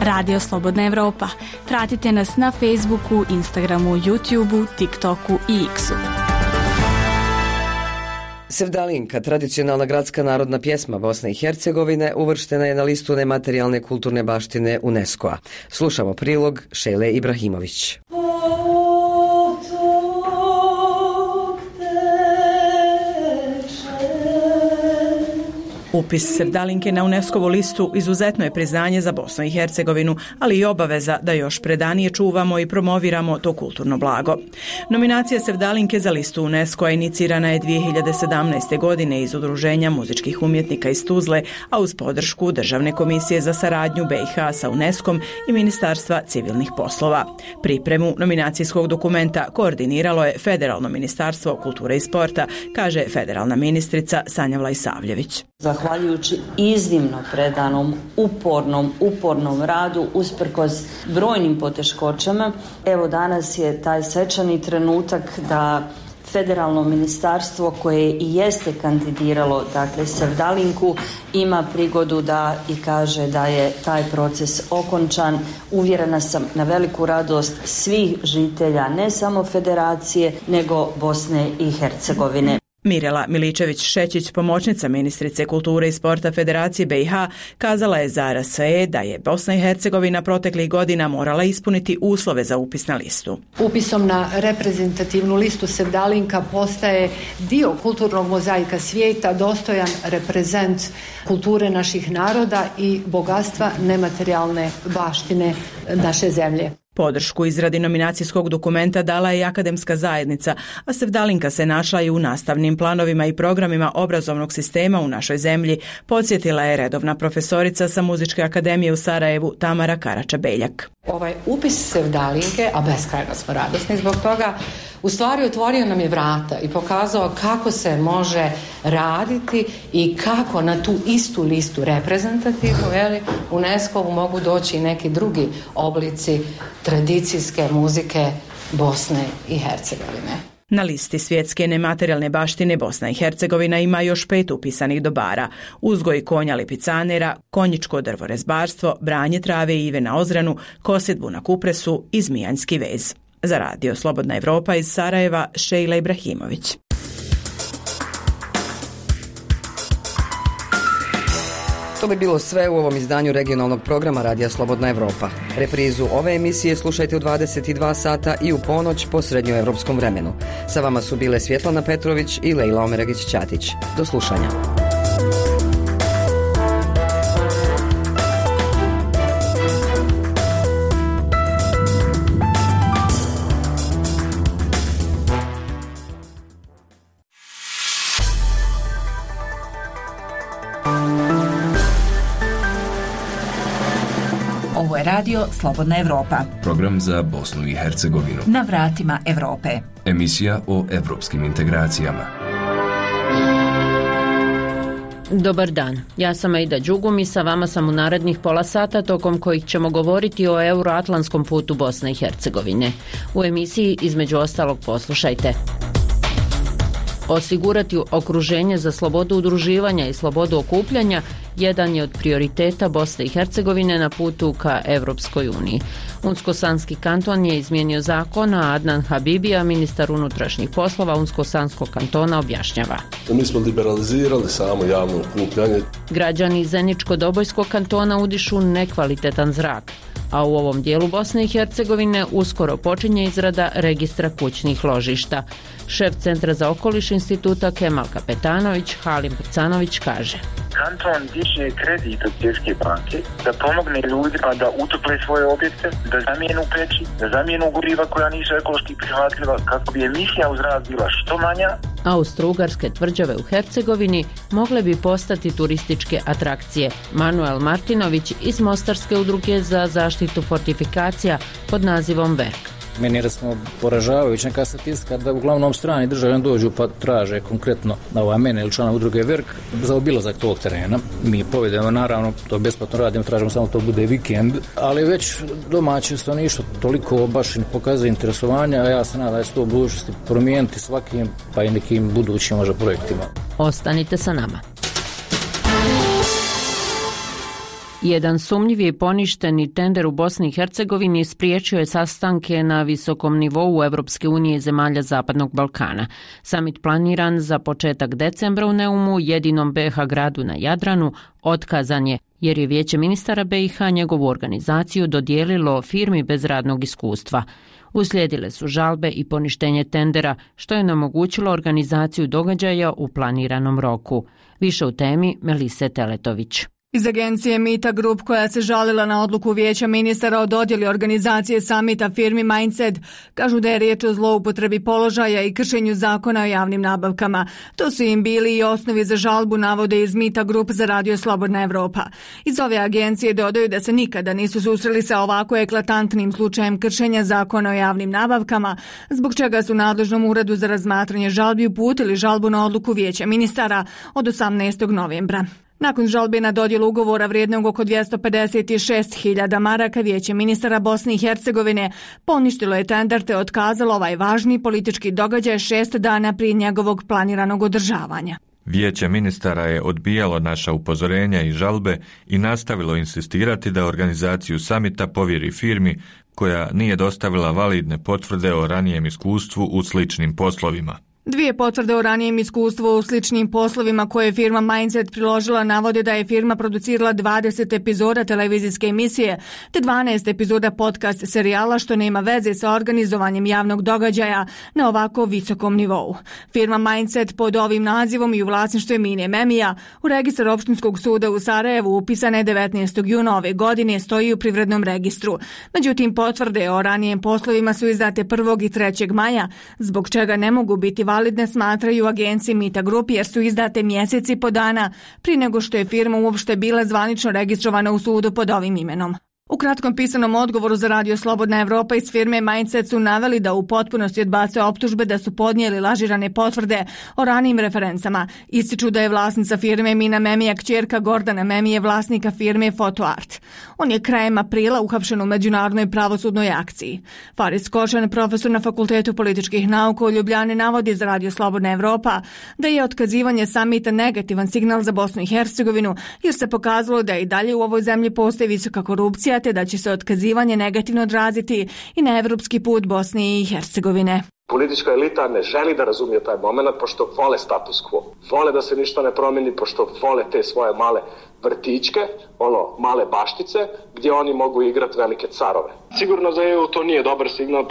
Radio Slobodna Evropa. Pratite nas na Facebooku, Instagramu, YouTubeu, TikToku i X-u. Sevdalinka, tradicionalna gradska narodna pjesma Bosne i Hercegovine, uvrštena je na listu nematerijalne kulturne baštine UNESCO-a. Slušamo prilog Šejle Ibrahimović. Upis Sevdalinke na UNESCO-vu listu izuzetno je priznanje za Bosnu i Hercegovinu, ali i obaveza da još predanije čuvamo i promoviramo to kulturno blago. Nominacija Sevdalinke za listu UNESCO-a inicirana je 2017. godine iz Udruženja muzičkih umjetnika iz Tuzle, a uz podršku Državne komisije za saradnju BiH sa UNESCO-om i Ministarstva civilnih poslova. Pripremu nominacijskog dokumenta koordiniralo je Federalno ministarstvo kulture i sporta, kaže federalna ministrica Sanja Vlajsavljević. Zahvaljujući iznimno predanom, upornom radu, usprkos brojnim poteškoćama, evo danas je taj svečani trenutak da Federalno ministarstvo koje i jeste kandidiralo, dakle Sevdalinku, ima prigodu da i kaže da je taj proces okončan. Uvjerena sam na veliku radost svih žitelja, ne samo Federacije, nego Bosne i Hercegovine. Mirela Miličević-Šećić, pomoćnica ministrice kulture i sporta Federacije BiH, kazala je za RSE da je Bosna i Hercegovina proteklih godina morala ispuniti uslove za upis na listu. Upisom na reprezentativnu listu Sevdalinka postaje dio kulturnog mozaika svijeta, dostojan reprezent kulture naših naroda i bogatstva nematerijalne baštine naše zemlje. Podršku izradi nominacijskog dokumenta dala je i akademska zajednica, a Sevdalinka se našla i u nastavnim planovima i programima obrazovnog sistema u našoj zemlji, podsjetila je redovna profesorica sa Muzičke akademije u Sarajevu Tamara Karača-Beljak. Ovaj upis Sevdalinke, a beskrajno smo radosni zbog toga, u stvari otvorio nam je vrata i pokazao kako se može raditi i kako na tu istu listu reprezentativnu UNESCO-vu mogu doći i neki drugi oblici tradicijske muzike Bosne i Hercegovine. Na listi svjetske nematerijalne baštine Bosna i Hercegovina ima još 5 upisanih dobara: uzgoj konja lipicanera, konjičko drvorezbarstvo, branje trave i ive na Ozranu, kosidbu na Kupresu i zmijanjski vez. Za Radio Slobodna Evropa iz Sarajeva, Šejla Ibrahimović. To bi bilo sve u ovom izdanju regionalnog programa Radija Slobodna Evropa. Reprizu ove emisije slušajte u 22 sata i u ponoć po srednjoevropskom vremenu. Sa vama su bile Svjetlana Petrović i Lejla Omeregić-Ćatić. Do slušanja. Ovo je radio Slobodna Evropa. Program za Bosnu i Hercegovinu. Na vratima Evrope. Emisija o evropskim integracijama. Dobar dan, ja sam Aida Đugum i sa vama sam u narednih pola sata tokom kojih ćemo govoriti o euroatlantskom putu Bosne i Hercegovine. U emisiji između ostalog poslušajte: osigurati okruženje za slobodu udruživanja i slobodu okupljanja jedan je od prioriteta Bosne i Hercegovine na putu ka Evropskoj uniji. Unsko-sanski kanton je izmijenio zakon, a Adnan Habibija, ministar unutrašnjih poslova Unsko-sanskog kantona, objašnjava: mi smo liberalizirali samo javno okupljanje. Građani Zeničko-Dobojskog kantona udišu nekvalitetan zrak, a u ovom dijelu Bosne i Hercegovine uskoro počinje izrada registra kućnih ložišta. Šef Centra za okoliš instituta Kemal Kapetanović, Halim Prcanović, kaže: Kanton diže kredit od Svjetske banke da pomogne ljudima da utople svoje objekte, da zamijenu peći, da zamijenu goriva koja nisu ekološki prihvatljiva kako bi emisija u zrak bila što manja. Austro-ugarske tvrđave u Hercegovini mogle bi postati turističke atrakcije. Manuel Martinović iz Mostarske udruge za zaštitu fortifikacija pod nazivom VERK. Meni je recimo poražavajuća neka statistika da uglavnom strani državljani dođu pa traže konkretno na mene ili člana udruge VERK za obilazak tog terena. Mi povedemo, naravno, to besplatno radimo, tražimo samo to bude vikend, ali već domaće stanovništvo toliko baš ne pokazuje interesovanja, a ja se nadam da će to u budućnosti promijeniti svakim pa i nekim budućim možda projektima. Ostanite sa nama. Jedan sumnjivi i poništeni tender u Bosni i Hercegovini spriječio je sastanke na visokom nivou Evropske unije i zemalja Zapadnog Balkana. Samit planiran za početak decembra u Neumu, jedinom BiH gradu na Jadranu, otkazan je jer je Vijeće ministara BiH njegovu organizaciju dodijelilo firmi bez radnog iskustva. Uslijedile su žalbe i poništenje tendera, što je onemogućilo organizaciju događaja u planiranom roku. Više u temi Melise Teletović. Iz agencije Mita Group, koja se žalila na odluku Vijeća ministara o dodjeli organizacije samita firmi Mindset, kažu da je riječ o zloupotrebi položaja i kršenju zakona o javnim nabavkama. To su im bili i osnovi za žalbu, navode iz Mita Group za Radio Slobodna Evropa. Iz ove agencije dodaju da se nikada nisu susreli sa ovako eklatantnim slučajem kršenja zakona o javnim nabavkama, zbog čega su nadležnom uredu za razmatranje žalbi uputili žalbu na odluku Vijeća ministara od 18. novembra. Nakon žalbe na dodjelu ugovora vrijednog oko 256.000 maraka, Vijeće ministara Bosne i Hercegovine poništilo je tender te otkazalo ovaj važni politički događaj 6 dana prije njegovog planiranog održavanja. Vijeće ministara je odbijalo naša upozorenja i žalbe i nastavilo insistirati da organizaciju samita povjeri firmi koja nije dostavila validne potvrde o ranijem iskustvu u sličnim poslovima. 2 potvrde o ranijem iskustvu u sličnim poslovima koje je firma Mindset priložila navode da je firma producirala 20 epizoda televizijske emisije te 12 epizoda podcast serijala, što nema veze sa organizovanjem javnog događaja na ovako visokom nivou. Firma Mindset pod ovim nazivom i u vlasništvu Mine Memija u registar Opštinskog suda u Sarajevu upisana je 19. juna ove godine, stoji u privrednom registru. Međutim, potvrde o ranijem poslovima su izdate 1. i 3. maja, zbog čega ne mogu biti validne, smatraju agenciji Mita Group, jer su izdate mjeseci i po dana prije nego što je firma uopšte bila zvanično registrovana u sudu pod ovim imenom. U kratkom pisanom odgovoru za Radio Slobodna Evropa iz firme Mindset su naveli da u potpunosti odbacuju optužbe da su podnijeli lažirane potvrde o ranijim referencama. Ističu da je vlasnica firme Mina Memija kćerka Gordana Memije, vlasnika firme Fotoart. On je krajem aprila uhapšen u međunarodnoj pravosudnoj akciji. Faris Košan, profesor na Fakultetu političkih nauka u Ljubljani, navodi za Radio Slobodna Evropa da je otkazivanje samita negativan signal za Bosnu i Hercegovinu, jer se pokazalo da i dalje u ovoj zemlji postoji visoka korupcija opozicija, te da će se otkazivanje negativno odraziti i na evropski put Bosne i Hercegovine. Politička elita ne želi da razumije taj moment, pošto vole status quo. Vole da se ništa ne promeni, pošto vole te svoje male vrtićke, male baštice, gdje oni mogu igrati velike carove. Sigurno za EU to nije dobar signal,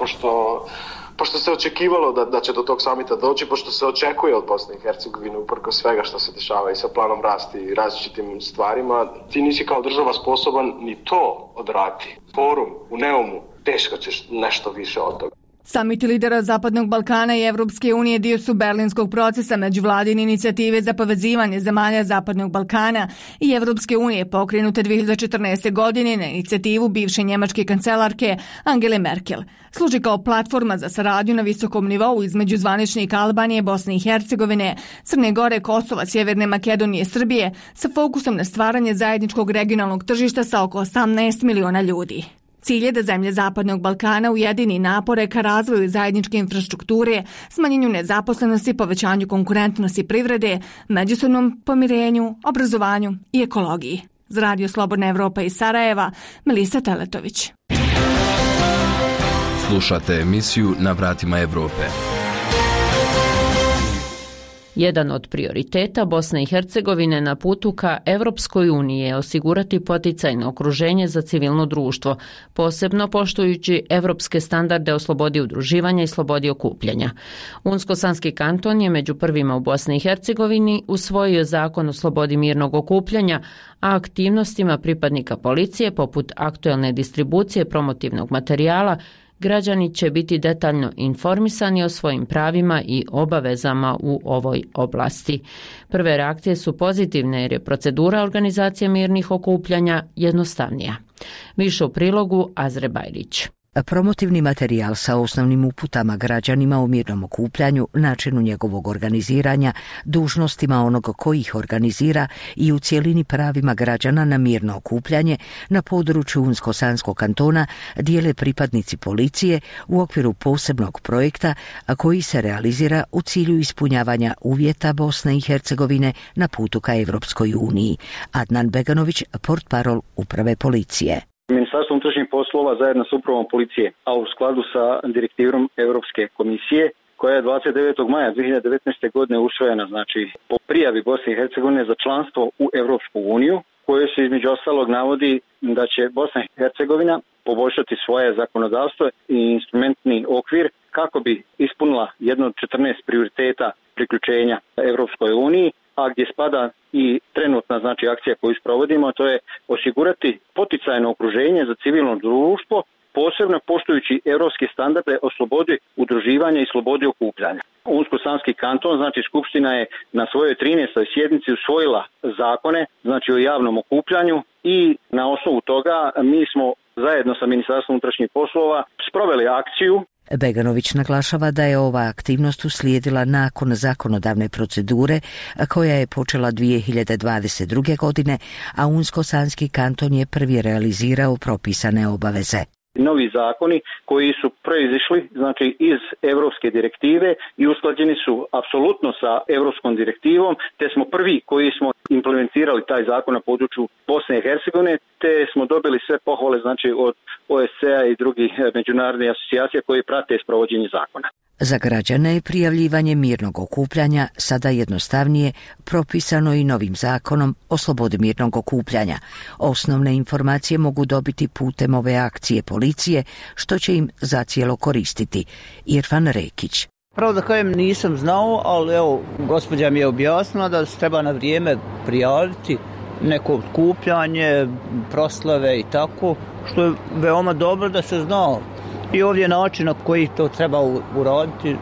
pošto se očekivalo da će do tog samita doći, pošto se očekuje od Bosne i Hercegovine uprkos svega što se dešava i sa planom rasti i različitim stvarima, ti nisi kao država sposoban ni to odraditi. Forum u Neumu, teško ćeš nešto više od toga. Samiti lidera Zapadnog Balkana i Evropske unije dio su berlinskog procesa međuvladine inicijative za povezivanje zemalja Zapadnog Balkana i Evropske unije pokrenute 2014. godine na inicijativu bivše njemačke kancelarke Angele Merkel. Služi kao platforma za saradnju na visokom nivou između zvaničnika Albanije, Bosne i Hercegovine, Crne Gore, Kosova, Sjeverne Makedonije i Srbije sa fokusom na stvaranje zajedničkog regionalnog tržišta sa oko 18 miliona ljudi. Cilj je da zemlje Zapadnog Balkana ujedini napore ka razvoju zajedničke infrastrukture, smanjenju nezaposlenosti, povećanju konkurentnosti privrede, međusobnom pomirenju, obrazovanju i ekologiji. Za Radio Slobodna Evropa iz Sarajeva, Melisa Teletović. Slušate emisiju Na vratima Evrope. Jedan od prioriteta Bosne i Hercegovine na putu ka Evropskoj uniji je osigurati poticajno okruženje za civilno društvo, posebno poštujući evropske standarde o slobodi udruživanja i slobodi okupljanja. Unsko-Sanski kanton je među prvima u Bosni i Hercegovini usvojio zakon o slobodi mirnog okupljanja, a aktivnostima pripadnika policije poput aktuelne distribucije promotivnog materijala građani će biti detaljno informisani o svojim pravima i obavezama u ovoj oblasti. Prve reakcije su pozitivne jer je procedura organizacije mirnih okupljanja jednostavnija. Više u prilogu Azre Bajrić. Promotivni materijal sa osnovnim uputama građanima o mirnom okupljanju, načinu njegovog organiziranja, dužnostima onog koji ih organizira i u cijelini pravima građana na mirno okupljanje na području Unsko-Sanskog kantona dijele pripadnici policije u okviru posebnog projekta koji se realizira u cilju ispunjavanja uvjeta Bosne i Hercegovine na putu ka Evropskoj uniji. Adnan Beganović, portparol uprave policije. Ministarstvo unutrašnjih poslova zajedno s upravom policije, a u skladu sa direktivom Europske komisije, koja je 29. maja 2019. godine usvojena, znači po prijavi Bosne i Hercegovine za članstvo u Europsku uniju, koje se između ostalog navodi da će Bosna i Hercegovina poboljšati svoje zakonodavstvo i instrumentni okvir kako bi ispunila jedno od 14 prioriteta priključenja Europskoj uniji, a gdje spada i trenutna akcija koju sprovodimo, to je osigurati poticajno okruženje za civilno društvo, posebno poštujući europske standarde o slobodi udruživanja i slobodi okupljanja. Unsko-Sanski kanton, Skupština je na svojoj 13. sjednici usvojila zakone, o javnom okupljanju i na osnovu toga mi smo zajedno sa Ministarstvom unutrašnjih poslova sproveli akciju. Beganović naglašava da je ova aktivnost uslijedila nakon zakonodavne procedure koja je počela 2022. godine, a Unsko-Sanski kanton je prvi realizirao propisane obaveze. Novi zakoni koji su proizišli iz europske direktive i usklađeni su apsolutno sa europskom direktivom, te smo prvi koji smo implementirali taj zakon na području Bosne i Hercegovine, te smo dobili sve pohvale od OSCE-a i drugih međunarodnih asocijacija koji prate sprovođenje zakona. Za građane je prijavljivanje mirnog okupljanja sada jednostavnije, propisano i novim zakonom o slobodi mirnog okupljanja. Osnovne informacije mogu dobiti putem ove akcije policije, što će im zacijelo koristiti. Irfan Rekić. Pravo da kažem nisam znao, ali gospođa mi je objasnila da se treba na vrijeme prijaviti neko okupljanje, proslave i tako, što je veoma dobro da se zna. I ovdje način na koji to treba uraditi.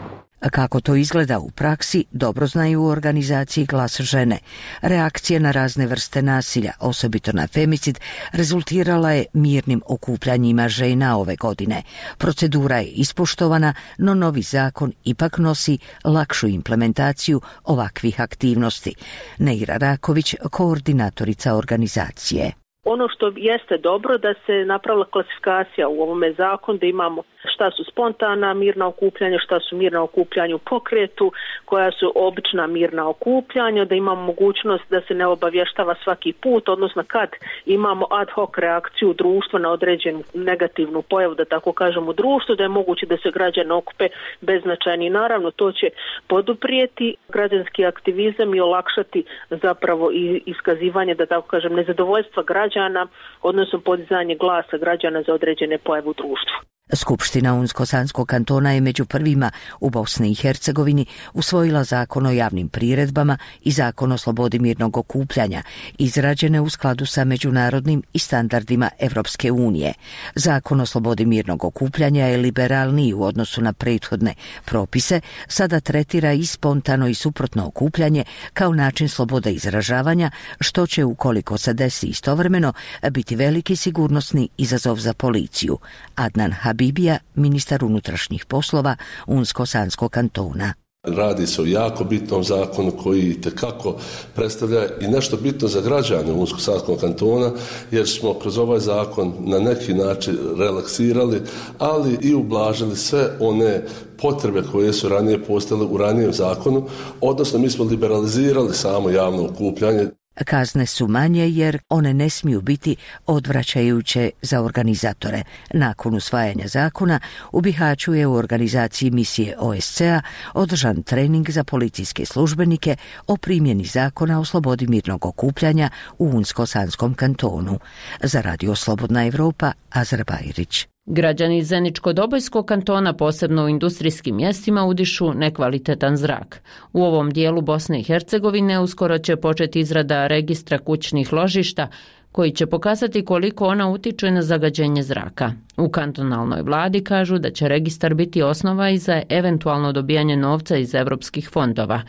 Kako to izgleda u praksi, dobro znaju u organizaciji Glas žene. Reakcija na razne vrste nasilja, osobito na femicid, rezultirala je mirnim okupljanjima žena ove godine. Procedura je ispoštovana, no novi zakon ipak nosi lakšu implementaciju ovakvih aktivnosti. Neira Raković, koordinatorica organizacije. Ono što jeste dobro da se napravila klasifikacija u ovome zakonu, da imamo šta su spontana mirna okupljanja, šta su mirna okupljanja u pokretu, koja su obična mirna okupljanja, da imamo mogućnost da se ne obavještava svaki put, odnosno kad imamo ad hoc reakciju društva na određenu negativnu pojavu, da tako kažem, u društvu, da je moguće da se građani okupe beznačajni. Naravno, to će poduprijeti građanski aktivizam i olakšati zapravo i iskazivanje, da tako kažem, nezadovoljstva građana, odnosno podizanje glasa građana za određene pojave u društvu. Skupština Unsko-Sanskog kantona je među prvima u Bosni i Hercegovini usvojila zakon o javnim priredbama i zakon o slobodi mirnog okupljanja, izrađene u skladu sa međunarodnim i standardima Evropske unije. Zakon o slobodi mirnog okupljanja je liberalniji u odnosu na prethodne propise, sada tretira i spontano i suprotno okupljanje kao način slobode izražavanja, što će, ukoliko se desi istovremeno, biti veliki sigurnosni izazov za policiju. Adnan Habibija, ministar unutrašnjih poslova Unsko-Sanskog kantona. Radi se o jako bitnom zakonu koji itekako predstavlja i nešto bitno za građane Unsko-Sanskog kantona, jer smo kroz ovaj zakon na neki način relaksirali, ali i ublažili sve one potrebe koje su ranije postojale u ranijem zakonu, odnosno mi smo liberalizirali samo javno okupljanje. Kazne su manje jer one ne smiju biti odvraćajuće za organizatore. Nakon usvajanja zakona u Bihaću je u organizaciji misije OSCE-a održan trening za policijske službenike o primjeni zakona o slobodi mirnog okupljanja u Unsko-Sanskom kantonu. Za Radio Slobodna Evropa, Azra Bajrić. Građani Zeničko-Dobojskog kantona, posebno u industrijskim mjestima, udišu nekvalitetan zrak. U ovom dijelu Bosne i Hercegovine uskoro će početi izrada registra kućnih ložišta, koji će pokazati koliko ona utiče na zagađenje zraka. U kantonalnoj vladi kažu da će registar biti osnova i za eventualno dobijanje novca iz evropskih fondova.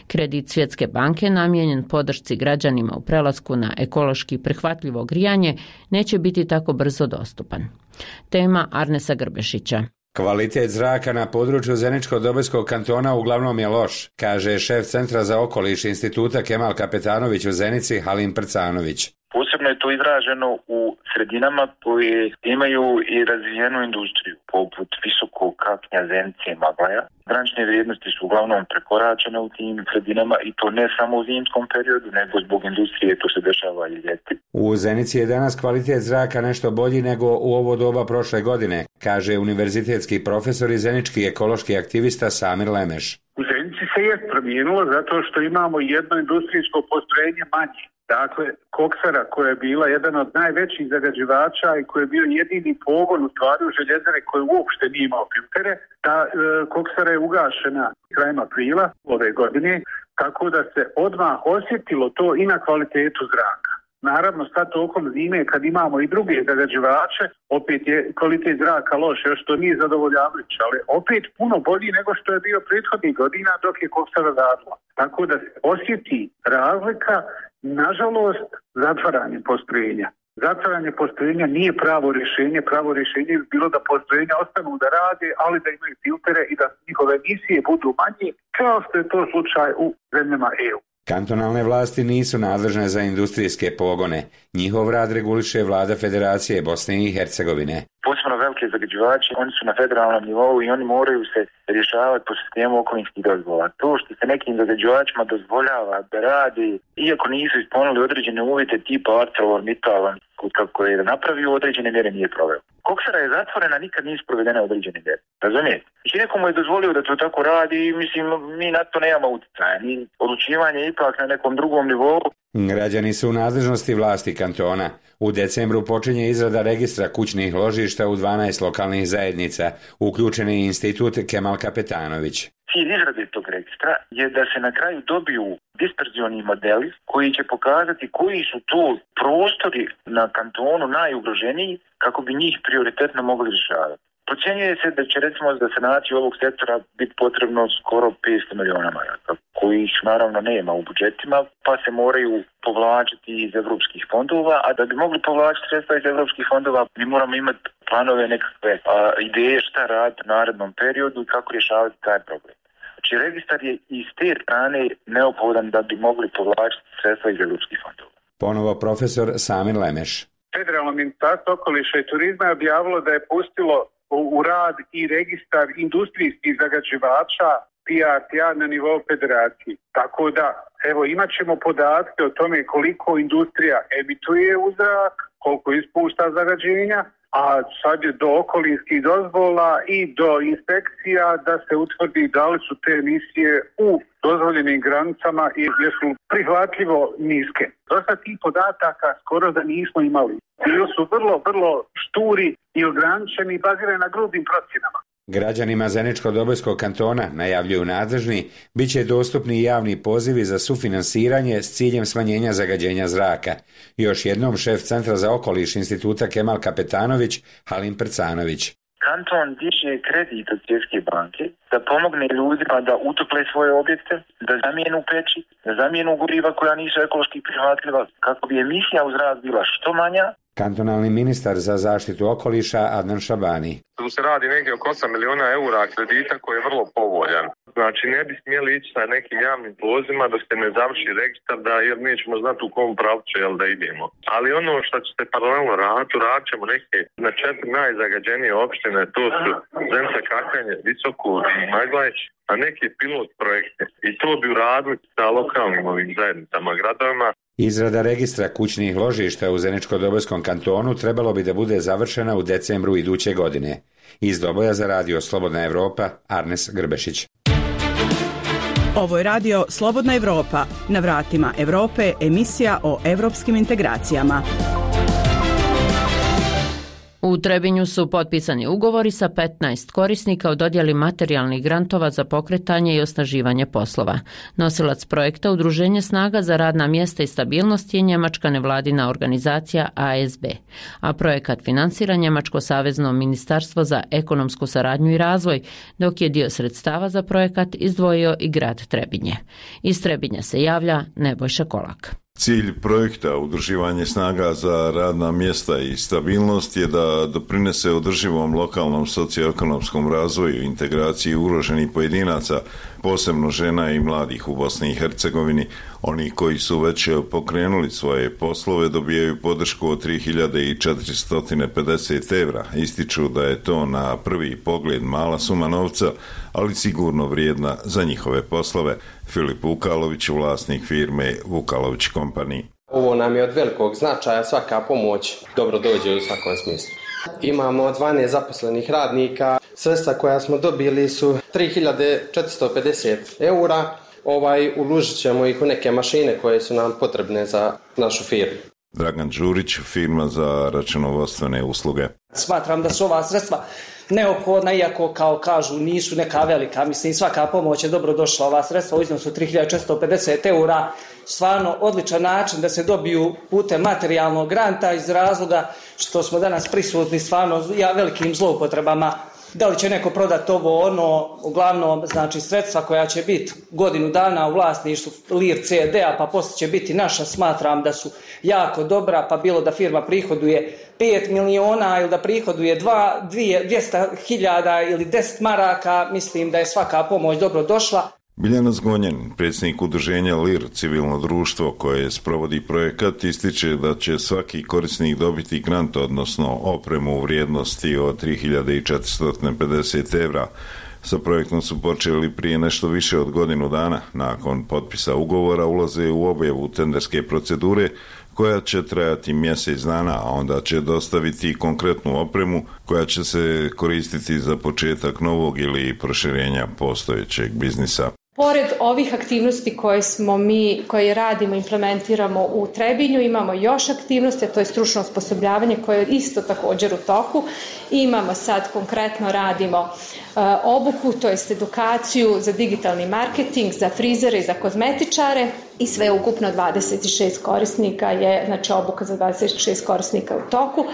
Kredit Svjetske banke namijenjen podršci građanima u prelasku na ekološki prihvatljivo grijanje neće biti tako brzo dostupan. Tema Arnesa Grbešića. Kvalitet zraka na području Zeničko-Dobojskog kantona uglavnom je loš, kaže šef Centra za okoliš Instituta Kemal Kapetanović u Zenici Halim Prcanović. Posebno je to izraženo u sredinama koje imaju i razvijenu industriju, poput visokog kapnja, Zenice i Maglaja. Granične vrijednosti su uglavnom prekoračene u tim sredinama i to ne samo u zimskom periodu, nego zbog industrije, to se dešava i ljeti. U Zenici je danas kvalitet zraka nešto bolji nego u ovo doba prošle godine, kaže univerzitetski profesor i zenički ekološki aktivista Samir Lemeš. U Zenici se je promijenilo zato što imamo jedno industrijsko postrojenje manje. Dakle, koksara koja je bila jedan od najvećih zagađivača i koji je bio jedini pogon u stvari u željezare koji uopšte nije imao filtere, ta koksara je ugašena krajem aprila ove godine, tako da se odmah osjetilo to i na kvalitetu zraka. Naravno, sad tokom zime kad imamo i druge zagađivače, opet je kvalitet zraka loš, još to nije zadovoljavajuće, ali opet puno bolji nego što je bio prethodnih godina dok je koksara radila. Tako da se osjeti razlika, nažalost, zatvaranje postrojenja. Zatvaranje postrojenja nije pravo rješenje bi bilo da postrojenja ostanu da rade, ali da imaju filtere i da njihove emisije budu manje, kao što je to slučaj u zemljama EU. Kantonalne vlasti nisu nadležne za industrijske pogone. Njihov rad reguliše vlada Federacije Bosne i Hercegovine. Posebno velike zagađivači, oni su na federalnom nivou i oni moraju se rješavati po sistemu okolinskih dozvola. To što se nekim zagađivačima dozvoljava da radi, iako nisu ispunili određene uvjete tipa ArcelorMittal, kako je napravio određene mjere nije proveo. Koksara je zatvorena, nikad nisu provedene određene mjere. Razumijete? Znači nekomu je dozvolio da to tako radi i mislim mi na to nemamo utjecaja. Ni odlučivanje ipak na nekom drugom nivou. Građani su u nadležnosti vlasti kantona. U decembru počinje izrada registra kućnih ložišta u 12 lokalnih zajednica, uključen je Institut Kemal Kapetanović. Cilj izrade tog registra je da se na kraju dobiju disperzioni modeli koji će pokazati koji su to prostori na kantonu najugroženiji kako bi njih prioritetno mogli rješavati. Procjenjuje se da će recimo za sanaciju ovog sektora biti potrebno skoro 500 miliona maraka, kojih naravno nema u budžetima, pa se moraju povlačiti iz evropskih fondova, a da bi mogli povlačiti sredstva iz evropskih fondova, mi moramo imati planove, nekakve ideje šta raditi u narednom periodu i kako rješavati taj problem. Znači, registar je iz te strane neophodan da bi mogli povlačiti sredstva iz evropskih fondova. Ponovo profesor Samir Lemeš. Federalno ministarstvo okoliša i turizma je objavilo da je pustilo u rad i registar industrijskih zagađivača PRTA na nivou federacije. Tako da, evo, imat ćemo podatke o tome koliko industrija emituje u zrak, koliko ispušta zagađenja, a sad je do okolinskih dozvola i do inspekcija da se utvrdi da li su te emisije u dozvoljenim granicama i jesu prihvatljivo niske. Dosta tih podataka skoro da nismo imali. Bili su vrlo šturi i ograničeni i bazirani na grubim procjenama. Građanima Zeničko-Dobojskog kantona, najavljuju nadležni, bit će dostupni javni pozivi za sufinansiranje s ciljem smanjenja zagađenja zraka. Još jednom šef Centra za okoliš Instituta Kemal Kapetanović, Halim Prcanović. Kanton diže kredit od Svjetske banke da pomogne ljudima da utople svoje objekte, da zamijenu peći, da zamijenu goriva koja nisu ekološki prihvatljiva, kako bi emisija u zrak bila što manja. Kantonalni ministar za zaštitu okoliša Adnan Šabani. Tu se radi negdje oko 8 miliona eura kredita koji je vrlo povoljan. Znači ne bi smjeli ići sa nekim javnim pozivima dok se ne završi registar, jer nećemo znati u kom pravcu da idemo. Ali ono što će se paralelno raditi, radit ćemo neke na 4 najzagađenije opštine, to su Zenica, Kakanje, Visoko i Maglajeć, a neke pilot projekte. I to bi uradili sa lokalnim ovim zajednicama, gradovima. Izrada registra kućnih ložišta u Zeničko-Dobojskom kantonu trebalo bi da bude završena u decembru iduće godine. Iz Doboja za radio Slobodna Evropa, Arnes Grbešić. Ovo je radio Slobodna Evropa. Na vratima Evrope, emisija o evropskim integracijama. U Trebinju su potpisani ugovori sa 15 korisnika o dodjeli materijalnih grantova za pokretanje i osnaživanje poslova. Nosilac projekta Udruženje snaga za radna mjesta i stabilnost je njemačka nevladina organizacija ASB, a projekat finansira Njemačko savezno ministarstvo za ekonomsku saradnju i razvoj, dok je dio sredstava za projekat izdvojio i grad Trebinje. Iz Trebinja se javlja Nebojša Kolak. Cilj projekta Udruživanje snaga za radna mjesta i stabilnost je da doprinese održivom lokalnom socioekonomskom razvoju i integraciji ugroženih pojedinaca, posebno žena i mladih u Bosni i Hercegovini. Oni koji su već pokrenuli svoje poslove dobijaju podršku od 3.450 evra. Ističu da je to na prvi pogled mala suma novca, ali sigurno vrijedna za njihove poslove. Filip Vukalović, vlasnik firme Vukalović Company. Ovo nam je od velikog značaja, svaka pomoć dobro dođe u svakom smislu. Imamo 12 zaposlenih radnika, sredstva koja smo dobili su 3.450 eura, uložit ćemo ih u neke mašine koje su nam potrebne za našu firmu. Dragan Đurić, firma za računovodstvene usluge. Smatram da su ova sredstva neophodna, iako kao kažu nisu neka velika. Mislim, svaka pomoć je dobro došla. Ova sredstva u iznosu 3.450 eura, stvarno odličan način da se dobiju putem materijalnog granta iz razloga što smo danas prisutni stvarno velikim zloupotrebama. Da li će neko prodati ovo, uglavnom znači sredstva koja će biti godinu dana u vlasništvu Lir CD-a, pa poslije će biti naša, smatram da su jako dobra, pa bilo da firma prihoduje 5 miliona ili da prihoduje 200.000 ili 10 maraka, mislim da je svaka pomoć dobro došla. Biljana Zgonjan, predsjednik udruženja LIR, civilno društvo koje sprovodi projekat, ističe da će svaki korisnik dobiti grant, odnosno opremu u vrijednosti od 3.450 evra. Sa projektom su počeli prije nešto više od godinu dana. Nakon potpisa ugovora ulaze u objavu tenderske procedure koja će trajati mjesec dana, a onda će dostaviti konkretnu opremu koja će se koristiti za početak novog ili proširenja postojećeg biznisa. Pored ovih aktivnosti koje radimo, implementiramo u Trebinju, imamo još aktivnosti, a to je stručno osposobljavanje koje je isto također u toku. Imamo sad konkretno radimo obuku, to jest edukaciju za digitalni marketing, za frizere i za kozmetičare i sve ukupno 26 korisnika je, znači obuka za 26 korisnika u toku,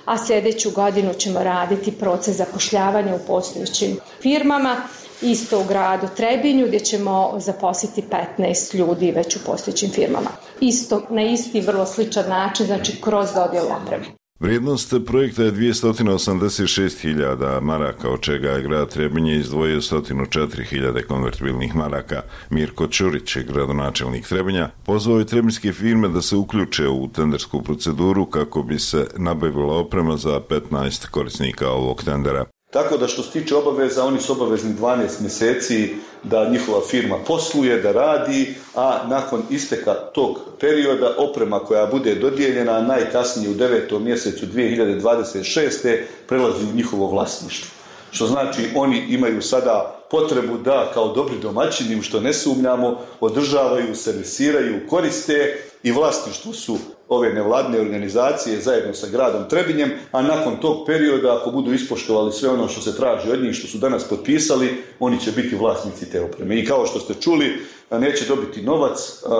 a sljedeću godinu ćemo raditi proces zapošljavanja u postojećim firmama. Isto u gradu Trebinju gdje ćemo zaposliti 15 ljudi već u postojećim firmama. Isto na isti vrlo sličan način, znači kroz dodjelu opreme. Vrijednost projekta je 286.000 maraka, od čega je grad Trebinje izdvojio 104.000 konvertibilnih maraka. Mirko Ćurić, gradonačelnik Trebinja, pozvao je trebinjske firme da se uključe u tendersku proceduru kako bi se nabavila oprema za 15 korisnika ovog tendera. Tako da što se tiče obaveza, oni su obavezni 12 mjeseci da njihova firma posluje, da radi, a nakon isteka tog perioda oprema koja bude dodijeljena najkasnije u 9. mjesecu 2026. prelazi u njihovo vlasništvo. Što znači oni imaju sada potrebu da kao dobri domaćini, u što ne sumnjamo, održavaju, servisiraju, koriste i vlasništvo su ove nevladine organizacije zajedno sa gradom Trebinjem, a nakon tog perioda, ako budu ispoštovali sve ono što se traži od njih, što su danas potpisali, oni će biti vlasnici te opreme. I kao što ste čuli, neće dobiti novac,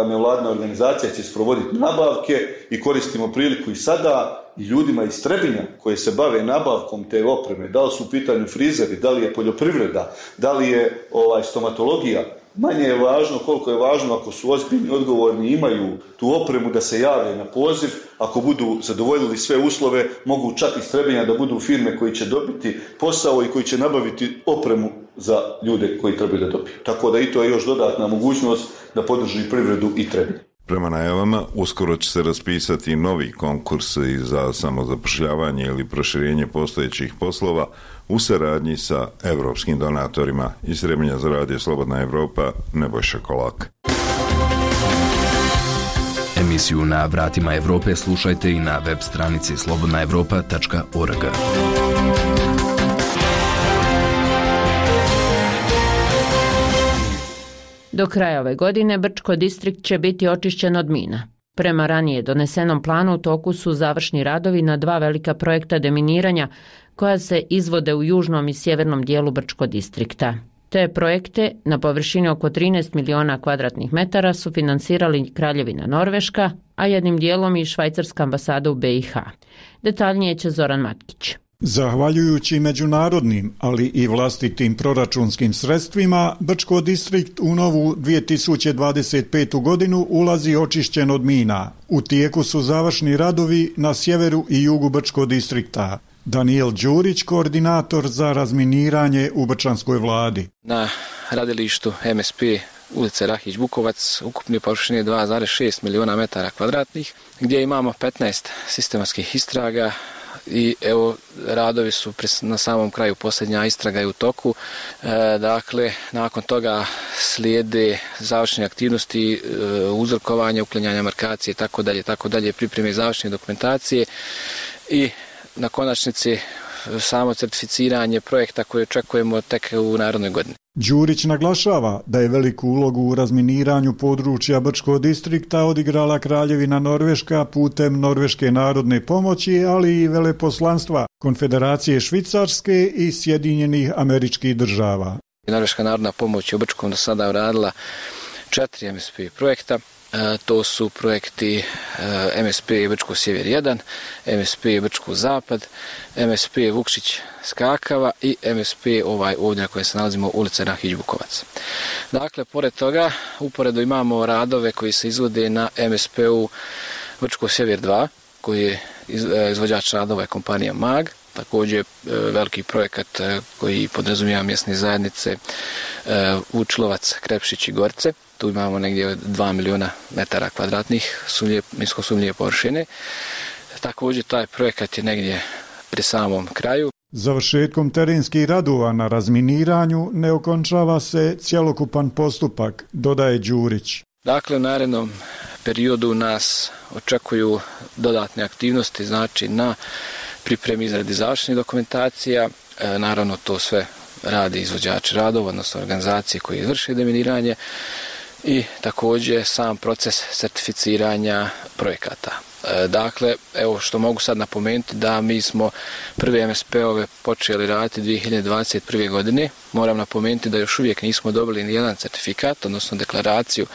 nevladina organizacija će sprovoditi nabavke i koristimo priliku i sada i ljudima iz Trebinja koji se bave nabavkom te opreme, da li su u pitanju frizeri, da li je poljoprivreda, da li je stomatologija. Manje je važno koliko je važno ako su ozbiljni, odgovorni, imaju tu opremu da se jave na poziv, ako budu zadovoljili sve uslove, mogu čak iz Trebinja da budu firme koji će dobiti posao i koji će nabaviti opremu za ljude koji trebaju da dobiju. Tako da i to je još dodatna mogućnost da podrži privredu i Trebinj. Prema najavama, uskoro će se raspisati novi konkurs za samozapošljavanje ili proširenje postojećih poslova u saradnji sa evropskim donatorima. Iz Trebinja za Radio Slobodna Evropa, Nebojša Kolak. Emisiju Na vratima Evrope slušajte i na web stranici slobodnaevropa.org. Do kraja ove godine Brčko distrikt će biti očišćen od mina. Prema ranije donesenom planu u toku su završni radovi na 2 velika projekta deminiranja koja se izvode u južnom i sjevernom dijelu Brčko distrikta. Te projekte na površini oko 13 miliona kvadratnih metara su finansirali Kraljevina Norveška, a jednim dijelom i Švajcarska ambasada u BiH. Detaljnije će Zoran Matkić. Zahvaljujući međunarodnim, ali i vlastitim proračunskim sredstvima, Brčko distrikt u novu 2025. godinu ulazi očišćen od mina. U tijeku su završni radovi na sjeveru i jugu Brčko distrikta. Daniel Đurić, koordinator za razminiranje u Brčanskoj vladi. Na radilištu MSP ulice Rahić-Bukovac ukupne površine 2,6 miliona metara kvadratnih, gdje imamo 15 sistematskih istraga, i evo radovi su na samom kraju, posljednja istraga je u toku. Dakle, nakon toga slijede završne aktivnosti, uzorkovanje, uklanjanja markacije, tako dalje, pripreme završne dokumentacije i na konačnici samo certificiranje projekta koje očekujemo tek u narednoj godini. Đurić naglašava da je veliku ulogu u razminiranju područja Brčkog distrikta odigrala Kraljevina Norveška putem Norveške narodne pomoći, ali i veleposlanstva Konfederacije Švicarske i Sjedinjenih Američkih Država. Norveška narodna pomoć je u Brčkom do sada uradila 4 MSP projekta. To su projekti MSP Brčko Sjever 1, MSP Brčko Zapad, MSP Vukšić Skakava i MSP ovdje na kojem se nalazimo ulica Rahić-Bukovac. Dakle, pored toga, uporedo imamo radove koji se izvode na MSP-u Brčko Sjever 2, koji je izvođač radova je kompanija MAG, također veliki projekat koji podrazumijeva mjesne zajednice Vučlovac, Krepšić i Gorce. Tu imamo negdje 2 miliona metara kvadratnih minsko sumnjive površine. Također taj projekat je negdje pri samom kraju. Završetkom terenskih radova na razminiranju ne okončava se cjelokupan postupak, dodaje Đurić. Dakle, u narednom periodu nas očekuju dodatne aktivnosti, znači na pripremi izradi završnih dokumentacija. Naravno, to sve radi izvođači radova, odnosno organizacije koje izvrše deminiranje, i također sam proces certificiranja projekata. Dakle, evo što mogu sad napomenuti da mi smo prve MSP-ove počeli raditi 2021. godine. Moram napomenuti da još uvijek nismo dobili ni jedan certifikat, odnosno deklaraciju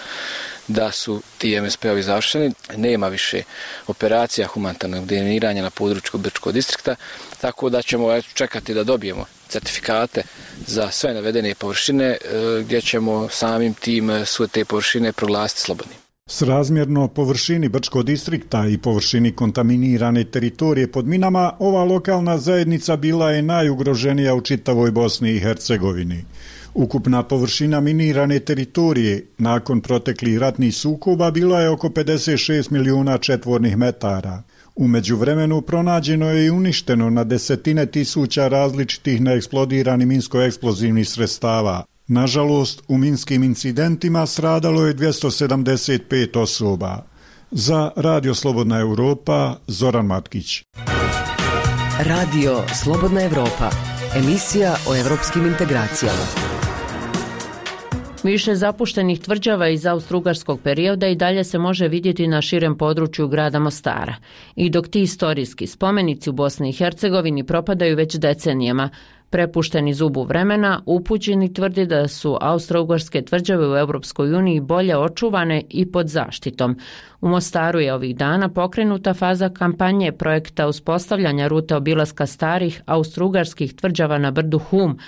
da su ti MSP-ovi završeni. Nema više operacija humanitarnog deminiranja na području Brčkog distrikta, tako da ćemo čekati da dobijemo certifikate za sve navedene površine, gdje ćemo samim tim sve te površine proglasiti slobodnim. Srazmjerno površini Brčkog distrikta i površini kontaminirane teritorije pod minama, ova lokalna zajednica bila je najugroženija u čitavoj Bosni i Hercegovini. Ukupna površina minirane teritorije nakon proteklih ratnih sukoba bila je oko 56 milijuna četvornih metara. U međuvremenu pronađeno je i uništeno na desetine tisuća različitih neeksplodiranih minsko-eksplozivnih sredstava. Nažalost, u minskim incidentima stradalo je 275 osoba. Za Radio Slobodna Europa, Zoran Matkić. Radio Slobodna Europa, emisija o evropskim integracijama. Više zapuštenih tvrđava iz austrougarskog perioda i dalje se može vidjeti na širem području grada Mostara. I dok ti istorijski spomenici u Bosni i Hercegovini propadaju već decenijama, prepušteni zubu vremena, upućeni tvrdi da su austrougarske tvrđave u Europskoj uniji bolje očuvane i pod zaštitom. U Mostaru je ovih dana pokrenuta faza kampanje projekta uspostavljanja rute obilaska starih austrougarskih tvrđava na brdu Hum,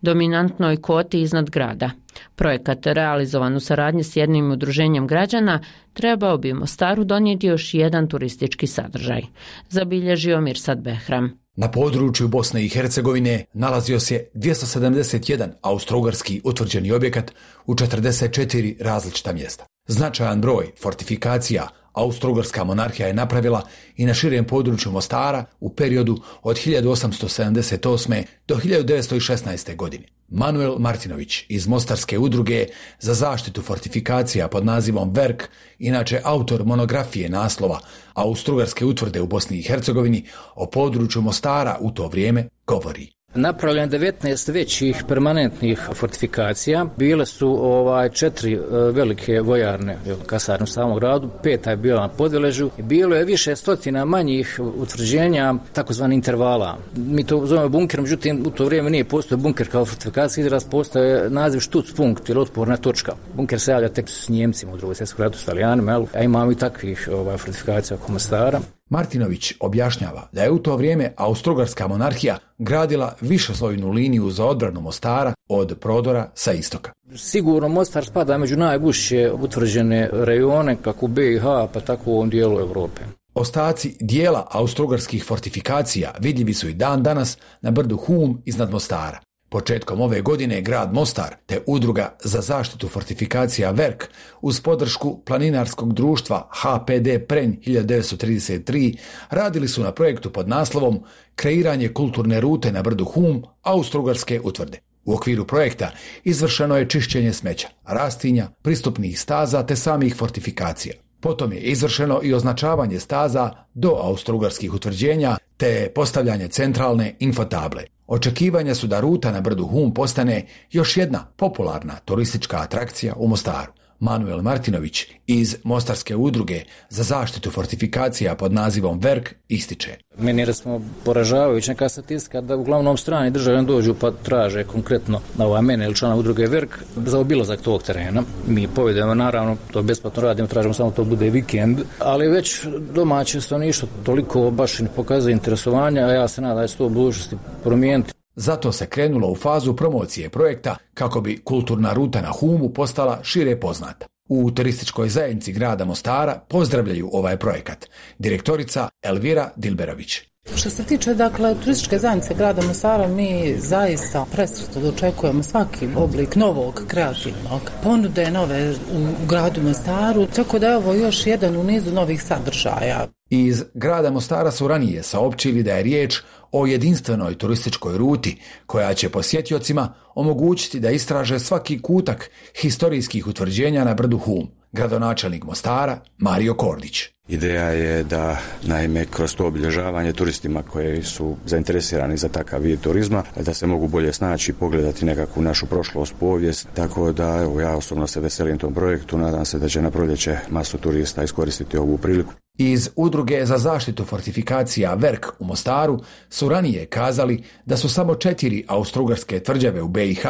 dominantnoj koti iznad grada. Projekat, realizovan u saradnji s jednim udruženjem građana, trebao bi Mostaru donijeti još jedan turistički sadržaj. Zabilježio Mirsad Behram. Na području Bosne i Hercegovine nalazio se 271 austrougarski utvrđeni objekat u 44 različita mjesta. Značajan broj fortifikacija Austrougarska monarhija je napravila i na širem području Mostara u periodu od 1878. do 1916. godine. Manuel Martinović iz Mostarske udruge za zaštitu fortifikacija pod nazivom Verk, inače autor monografije naslova Austrougarske utvrde u Bosni i Hercegovini, o području Mostara u to vrijeme govori. Napravljeno 19 većih permanentnih fortifikacija. Bile su 4 velike vojarne kasarne u samom gradu, 5 je bila na Podveležu. Bilo je više stotina manjih utvrđenja, takozvani intervala. Mi to zovemo bunker, međutim u to vrijeme nije postojao bunker kao fortifikacija, izraz postoje naziv Stützpunkt ili otporna točka. Bunker se javlja tek s Njemcima u Drugom svjetskom ratu, s Italijanima, a imamo i takvih fortifikacija oko Mostara. Martinović objašnjava da je u to vrijeme Austrougarska monarhija gradila višeslojnu liniju za odbranu Mostara od prodora sa istoka. Sigurno Mostar spada među najgušće utvrđene rejone kako u BiH pa tako u ovom dijelu Europe. Ostaci dijela austrougarskih fortifikacija vidljivi su i dan danas na brdu Hum iznad Mostara. Početkom ove godine grad Mostar te udruga za zaštitu fortifikacija Verk uz podršku planinarskog društva HPD Prenj 1933 radili su na projektu pod naslovom Kreiranje kulturne rute na brdu Hum Austrougarske utvrde. U okviru projekta izvršeno je čišćenje smeća, rastinja, pristupnih staza te samih fortifikacija. Potom je izvršeno i označavanje staza do austrougarskih utvrđenja te postavljanje centralne infotable. Očekivanja su da ruta na brdu Hum postane još jedna popularna turistička atrakcija u Mostaru. Manuel Martinović iz Mostarske udruge za zaštitu fortifikacija pod nazivom Verk ističe. Meni je smo poražavajući neka statistika da uglavnom strani državljani dođu pa traže konkretno na mene ili člana udruge Verk za obilazak tog terena. Mi povedemo, naravno, to besplatno radimo, tražimo samo to bude vikend, ali već domaće stanovništvo toliko baš ne pokazuje interesovanja, a ja se nadam da će to u budućnosti promijeniti. Zato se krenulo u fazu promocije projekta kako bi kulturna ruta na Humu postala šire poznata. U turističkoj zajednici grada Mostara pozdravljaju ovaj projekat. Direktorica Elvira Dilberović. Što se tiče, turističke zajednice grada Mostara, mi zaista presretno dočekujemo svaki oblik novog kreativnog ponude, nove u gradu Mostaru, tako da je ovo još jedan u nizu novih sadržaja. Iz grada Mostara su ranije saopćili da je riječ o jedinstvenoj turističkoj ruti koja će posjetiocima omogućiti da istraže svaki kutak historijskih utvrđenja na brdu Hum. Gradonačelnik Mostara Mario Kordić. Ideja je da, naime, kroz to obilježavanje turistima koji su zainteresirani za takav vid turizma, da se mogu bolje snaći i pogledati nekakvu našu prošlost, povijest, tako da ja osobno se veselim tom projektu, nadam se da će na proljeće masu turista iskoristiti ovu priliku. Iz udruge za zaštitu fortifikacija Verk u Mostaru su ranije kazali da su samo 4 austrougarske tvrđave u BiH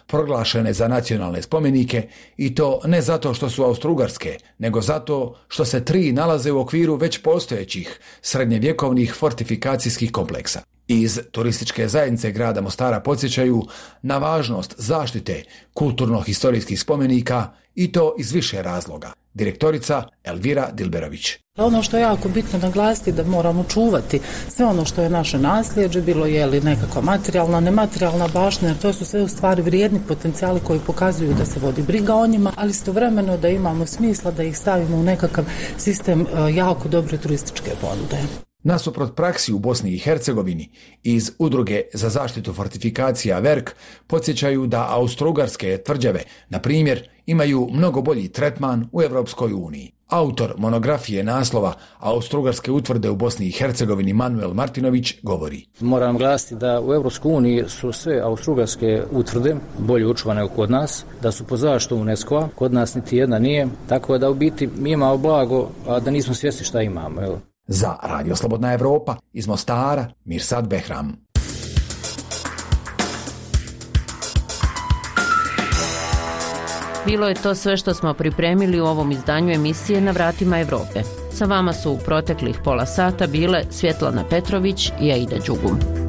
proglašene za nacionalne spomenike i to ne zato što su austrougarske, nego zato što se 3 nalaze u okviru već postojećih srednjevjekovnih fortifikacijskih kompleksa. Iz turističke zajednice grada Mostara podsjećaju na važnost zaštite kulturno-historijskih spomenika i to iz više razloga. direktorica Elvira Dilberović. Ono što je jako bitno naglasiti da moramo čuvati sve ono što je naše nasljeđe, bilo je li nekakva materijalna, nematerijalna baština, jer to su sve u stvari vrijedni potencijali koji pokazuju da se vodi briga o njima, ali istovremeno da imamo smisla da ih stavimo u nekakav sistem jako dobre turističke ponude. Nasuprot praksi u Bosni i Hercegovini, iz Udruge za zaštitu fortifikacija VERK podsjećaju da austrougarske tvrđave, na primjer, imaju mnogo bolji tretman u Evropskoj uniji. Autor monografije naslova Austrougarske utvrde u Bosni i Hercegovini Manuel Martinović govori. Moram glasiti da u Evropskoj uniji su sve austrougarske utvrde bolje očuvane kod nas, da su pod zaštitom UNESCO-a, kod nas niti jedna nije, tako da u biti mi imamo blago, a da nismo svjesni šta imamo. Evo. Za Radio Slobodna Evropa iz Mostara, Mirsad Behram. Bilo je to sve što smo pripremili u ovom izdanju emisije Na vratima Evrope. Sa vama su u proteklih pola sata bile Svjetlana Petrović i Aida Đugum.